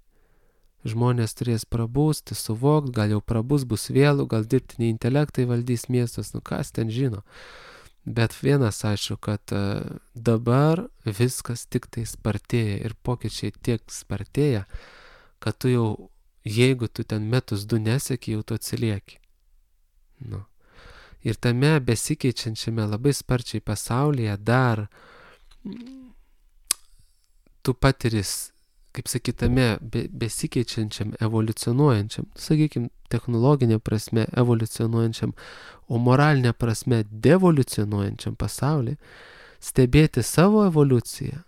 Žmonės turės prabūsti, suvokti, gal jau prabus, bus vėlų, gal dirbtiniai intelektai valdys miestus, kas ten žino. Bet vienas aišku, kad dabar viskas tik tai spartėja ir pokyčiai tiek spartėja, kad tu jau, jeigu tu ten metus du neseki, jau tu atsilieki. Ir tame besikeičiančiame labai sparčiai pasaulyje dar tu patiris, kaip sakytame, besikeičiančiam, evoliucionuojančiam, sakykime, technologinė prasme evoliucionuojančiam, o moralinė prasme devolucionuojančiam pasaulį, stebėti savo evoliuciją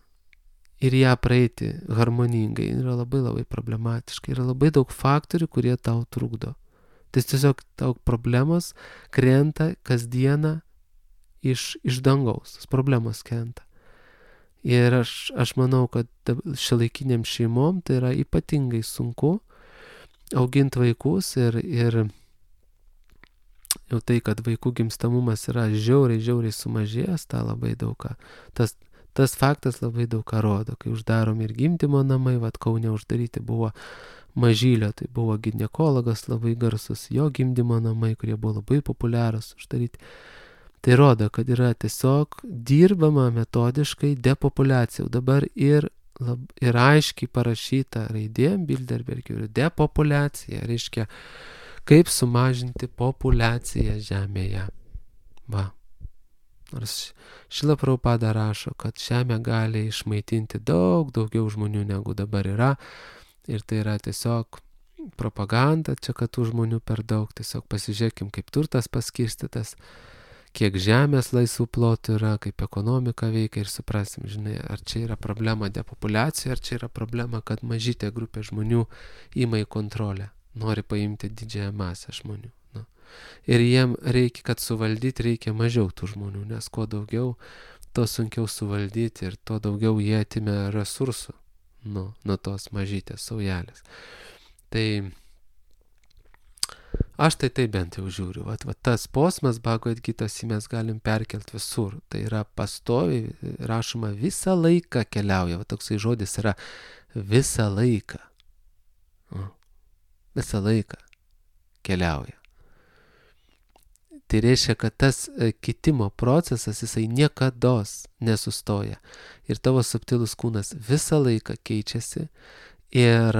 ir ją praeiti harmoningai yra labai labai problematiška. Yra labai daug faktorių, kurie tau trukdo. Tai tiesiog tau problemos krenta kasdieną iš dangaus. Problemos krenta. Ir aš manau, kad šiuolaikiniam šeimom tai yra ypatingai sunku auginti vaikus ir jau tai, kad vaikų gimstamumas yra žiauriai sumažėjęs, tą labai daug ką. Tas faktas labai daug ką rodo, kai uždaromi ir gimdymo namai, Kaune uždaryti buvo Mažylio, tai buvo ginekologas labai garsus, jo gimdymo namai, kurie buvo labai populiarūs, uždaryti. Tai rodo, kad yra tiesiog dirbama metodiškai depopuliacija. Dabar ir aiškiai parašyta raidėm Bilderbergių depopuliacija, reiškia, kaip sumažinti populiaciją Žemėje. Va. Ar nors Šrila Prabhupada rašo, kad žemė gali išmaitinti daug daugiau žmonių negu dabar yra. Ir tai yra tiesiog propaganda, čia kad tų žmonių per daug. Tiesiog pasižiūrėkim, kaip turtas paskirstytas, kiek žemės laisvų plotų yra, kaip ekonomika veikia ir suprasim, žinai, ar čia yra problema depopulacija, ar čia yra problema, kad mažytė grupė žmonių ima į kontrolę, nori paimti didžiąją masę žmonių. Ir jiem reikia, kad suvaldyti, reikia mažiau tų žmonių, nes kuo daugiau, to sunkiau suvaldyti ir tuo daugiau jie atimė resursų nuo tos mažytės saujelės. Tai aš tai bent jau žiūriu. Vat tas posmas Bhagavad Gitos mes galim perkelti visur. Tai yra pastoviai rašoma visą laiką keliauja. Va toksai žodis yra visą laiką. Visą laiką keliauja. Tai reiškia, kad tas kitimo procesas, jisai niekados nesustoja. Ir tavo subtilus kūnas visą laiką keičiasi ir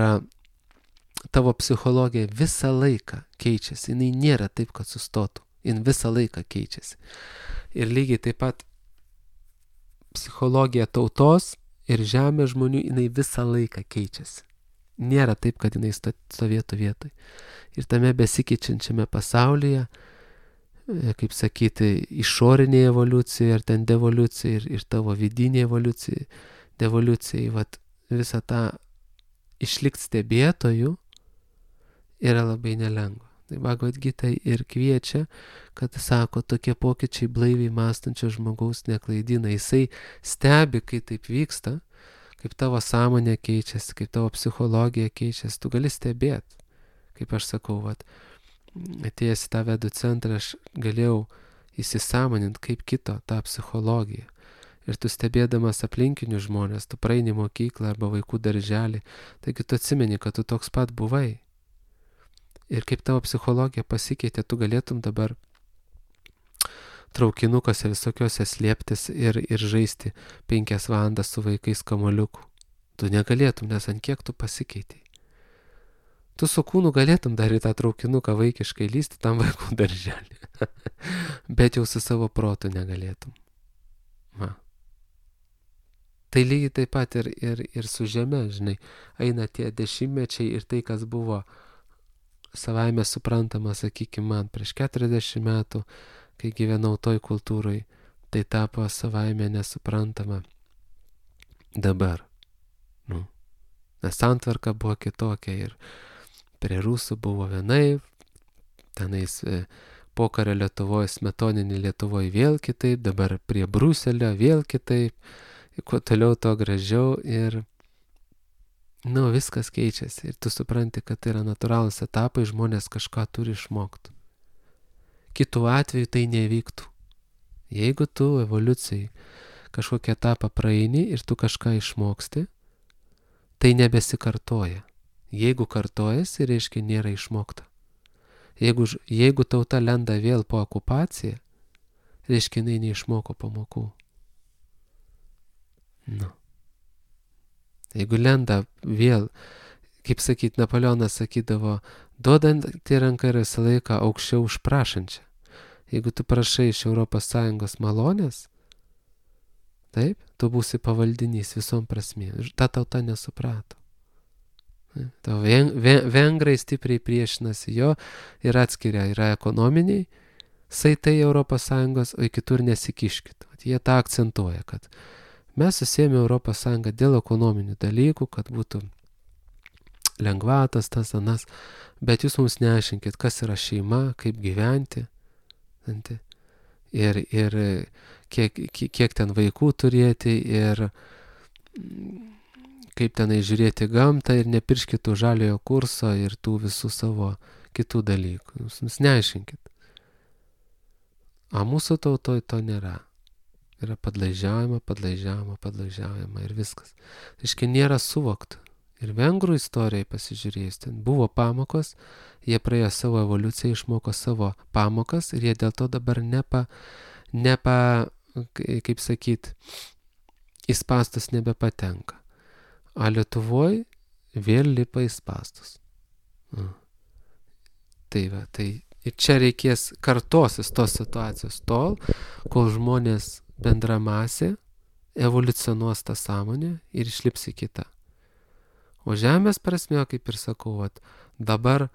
tavo psichologija visą laiką keičiasi. Jinai nėra taip, kad sustotų. Jin visą laiką keičiasi. Ir lygiai taip pat psichologija tautos ir žemės žmonių, jinai visą laiką keičiasi. Nėra taip, kad jinai stovėtų vietoj. Ir tame besikeičiančiame pasaulyje, kaip sakyti, išorinė evoliucija ir ten devoliucija ir tavo vidinė evoliucija, devoliucija, vat visą tą išlikti stebėtojų yra labai nelengva. Tai Bhagavad Gita ir kviečia, kad sako, tokie pokyčiai blaiviai mąstančio žmogaus neklaidina. Jisai stebi, kai taip vyksta, kaip tavo sąmonė keičiasi, kaip tavo psichologija keičiasi, tu gali stebėti. Kaip aš sakau, vat, atėjęs į tą vedų centrą, aš galėjau įsisąmoninti, kaip kito tą psichologiją. Ir tu stebėdamas aplinkinius žmonės, tu praeini mokyklą arba vaikų darželį, taigi tu atsimeni, kad tu toks pat buvai. Ir kaip tavo psichologija pasikeitė, tu galėtum dabar traukinukose visokiuose slėptis ir žaisti 5 valandas su vaikais kamuoliuku. Tu negalėtum, nes ant kiek tu pasikeitei. Tu su kūnu galėtum dar į tą traukinuką vaikiškai lysti tam vaikų darželį. Bet jau su savo protu negalėtum. Tai lygiai taip pat ir su žeme, žinai, eina tie dešimtmečiai ir tai, kas buvo savaime suprantama, sakykime, man prieš 40 metų, kai gyvenau toj kultūroj, tai tapo savaime nesuprantama dabar. Nes santvarka buvo kitokia ir prie rusų buvo vienaip, tenais pokario Lietuvoje, smetoninį Lietuvoje vėl kitaip, dabar prie Bruselio vėl kitaip, kuo toliau to gražiau ir viskas keičiasi ir tu supranti, kad tai yra natūralūs etapai, žmonės kažką turi išmokti. Kitu atveju tai nevyktų. Jeigu tu evoliucijai kažkokią etapą praeini ir tu kažką išmoksti, tai nebesikartoja. Jeigu kartojasi, reiškia nėra išmokta. Jeigu tauta lenda vėl po okupaciją, reiškia jinai neišmoko pamokų. Jeigu lenda vėl, kaip sakyt, Napoleonas sakydavo, duodantį ranką yra visą laiką aukščiau už prašančią. Jeigu tu prašai iš ES malonės, taip, tu būsi pavaldinys visom prasmėm. Ta tauta nesuprato. Vengrai stipriai priešinasi jo ir atskiria, yra ekonominiai saitai ES, o kitur nesikiškit. Jie tą akcentuoja, kad mes susėmė ES dėl ekonominių dalykų, kad būtų lengvatas, tas anas, bet jūs mums neaiškinkit, kas yra šeima, kaip gyventi, ir kiek ten vaikų turėti, ir kaip tenai žiūrėti gamtą ir nepirškit tų žaliojo kurso ir tų visų savo kitų dalykų. Jūs neaiškinkit. O mūsų tautoj to nėra. Yra padlaižiaujama ir viskas. Reiškia, nėra suvokta. Ir vengrų istorijai pasižiūrėjus, ten buvo pamokos, jie praėjo savo evoliuciją, išmoko savo pamokas ir jie dėl to dabar kaip sakyt, į spąstus nebepatenka. O Lietuvoj vėl lipa į spąstus. Tai Ir čia reikės kartosis tos situacijos tol, kol žmonės bendra masė evoliucionuos tą sąmonę ir išlips į kitą. O žemės prasme, kaip ir sakau, dabar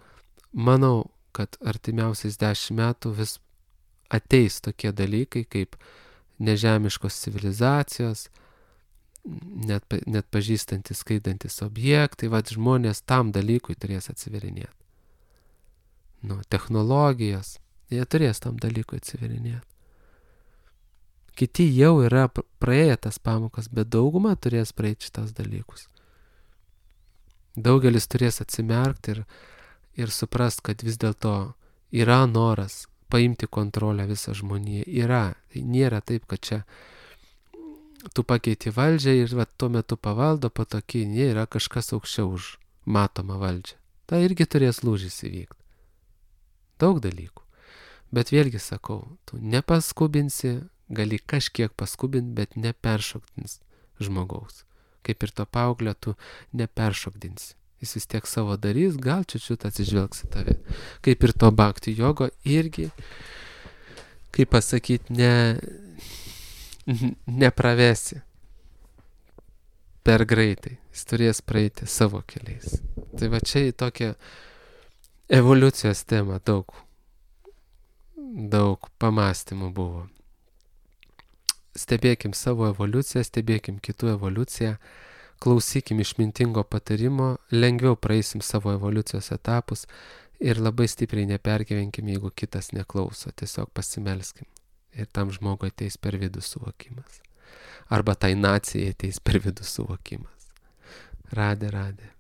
manau, kad artimiausiais 10 metų vis ateis tokie dalykai kaip nežemiškos civilizacijos, net pažįstantis, skaidantis objektai, žmonės tam dalykui turės atsiverinėti. Technologijos, jie turės tam dalykui atsiverinėti. Kiti jau yra praėję tas pamokas, bet dauguma turės praeiti šitas dalykus. Daugelis turės atsimerkti ir suprast, kad vis dėlto yra noras paimti kontrolę visą žmoniją. Yra. Tai nėra taip, kad čia tu pakeiti valdžią ir tuo metu pavaldo, po tokį nėra kažkas aukščiau už matomą valdžią. Tai irgi turės lūžis įvykti. Daug dalykų. Bet vėlgi sakau, tu nepaskubinsi, gali kažkiek paskubinti, bet neperšokdins žmogaus. Kaip ir to paauglio, tu neperšokdinsi. Jis vis tiek savo darys, gal čiučiut atsižvelgs į tave. Kaip ir to bhakti jogo irgi, kaip pasakyti, nepravesi per greitai. Jis turės praeiti savo keliais. Tai čia į tokią evoliucijos tema daug pamastymų buvo. Stebėkim savo evoliuciją, stebėkim kitų evoliuciją, klausykim išmintingo patarimo, lengviau praeisim savo evoliucijos etapus ir labai stipriai nepergyvenkim, jeigu kitas neklauso, tiesiog pasimelskim. Ir tam žmogui ateis per vidų suvokimas. Arba tai nacijai ateis per vidų suvokimas. Radė.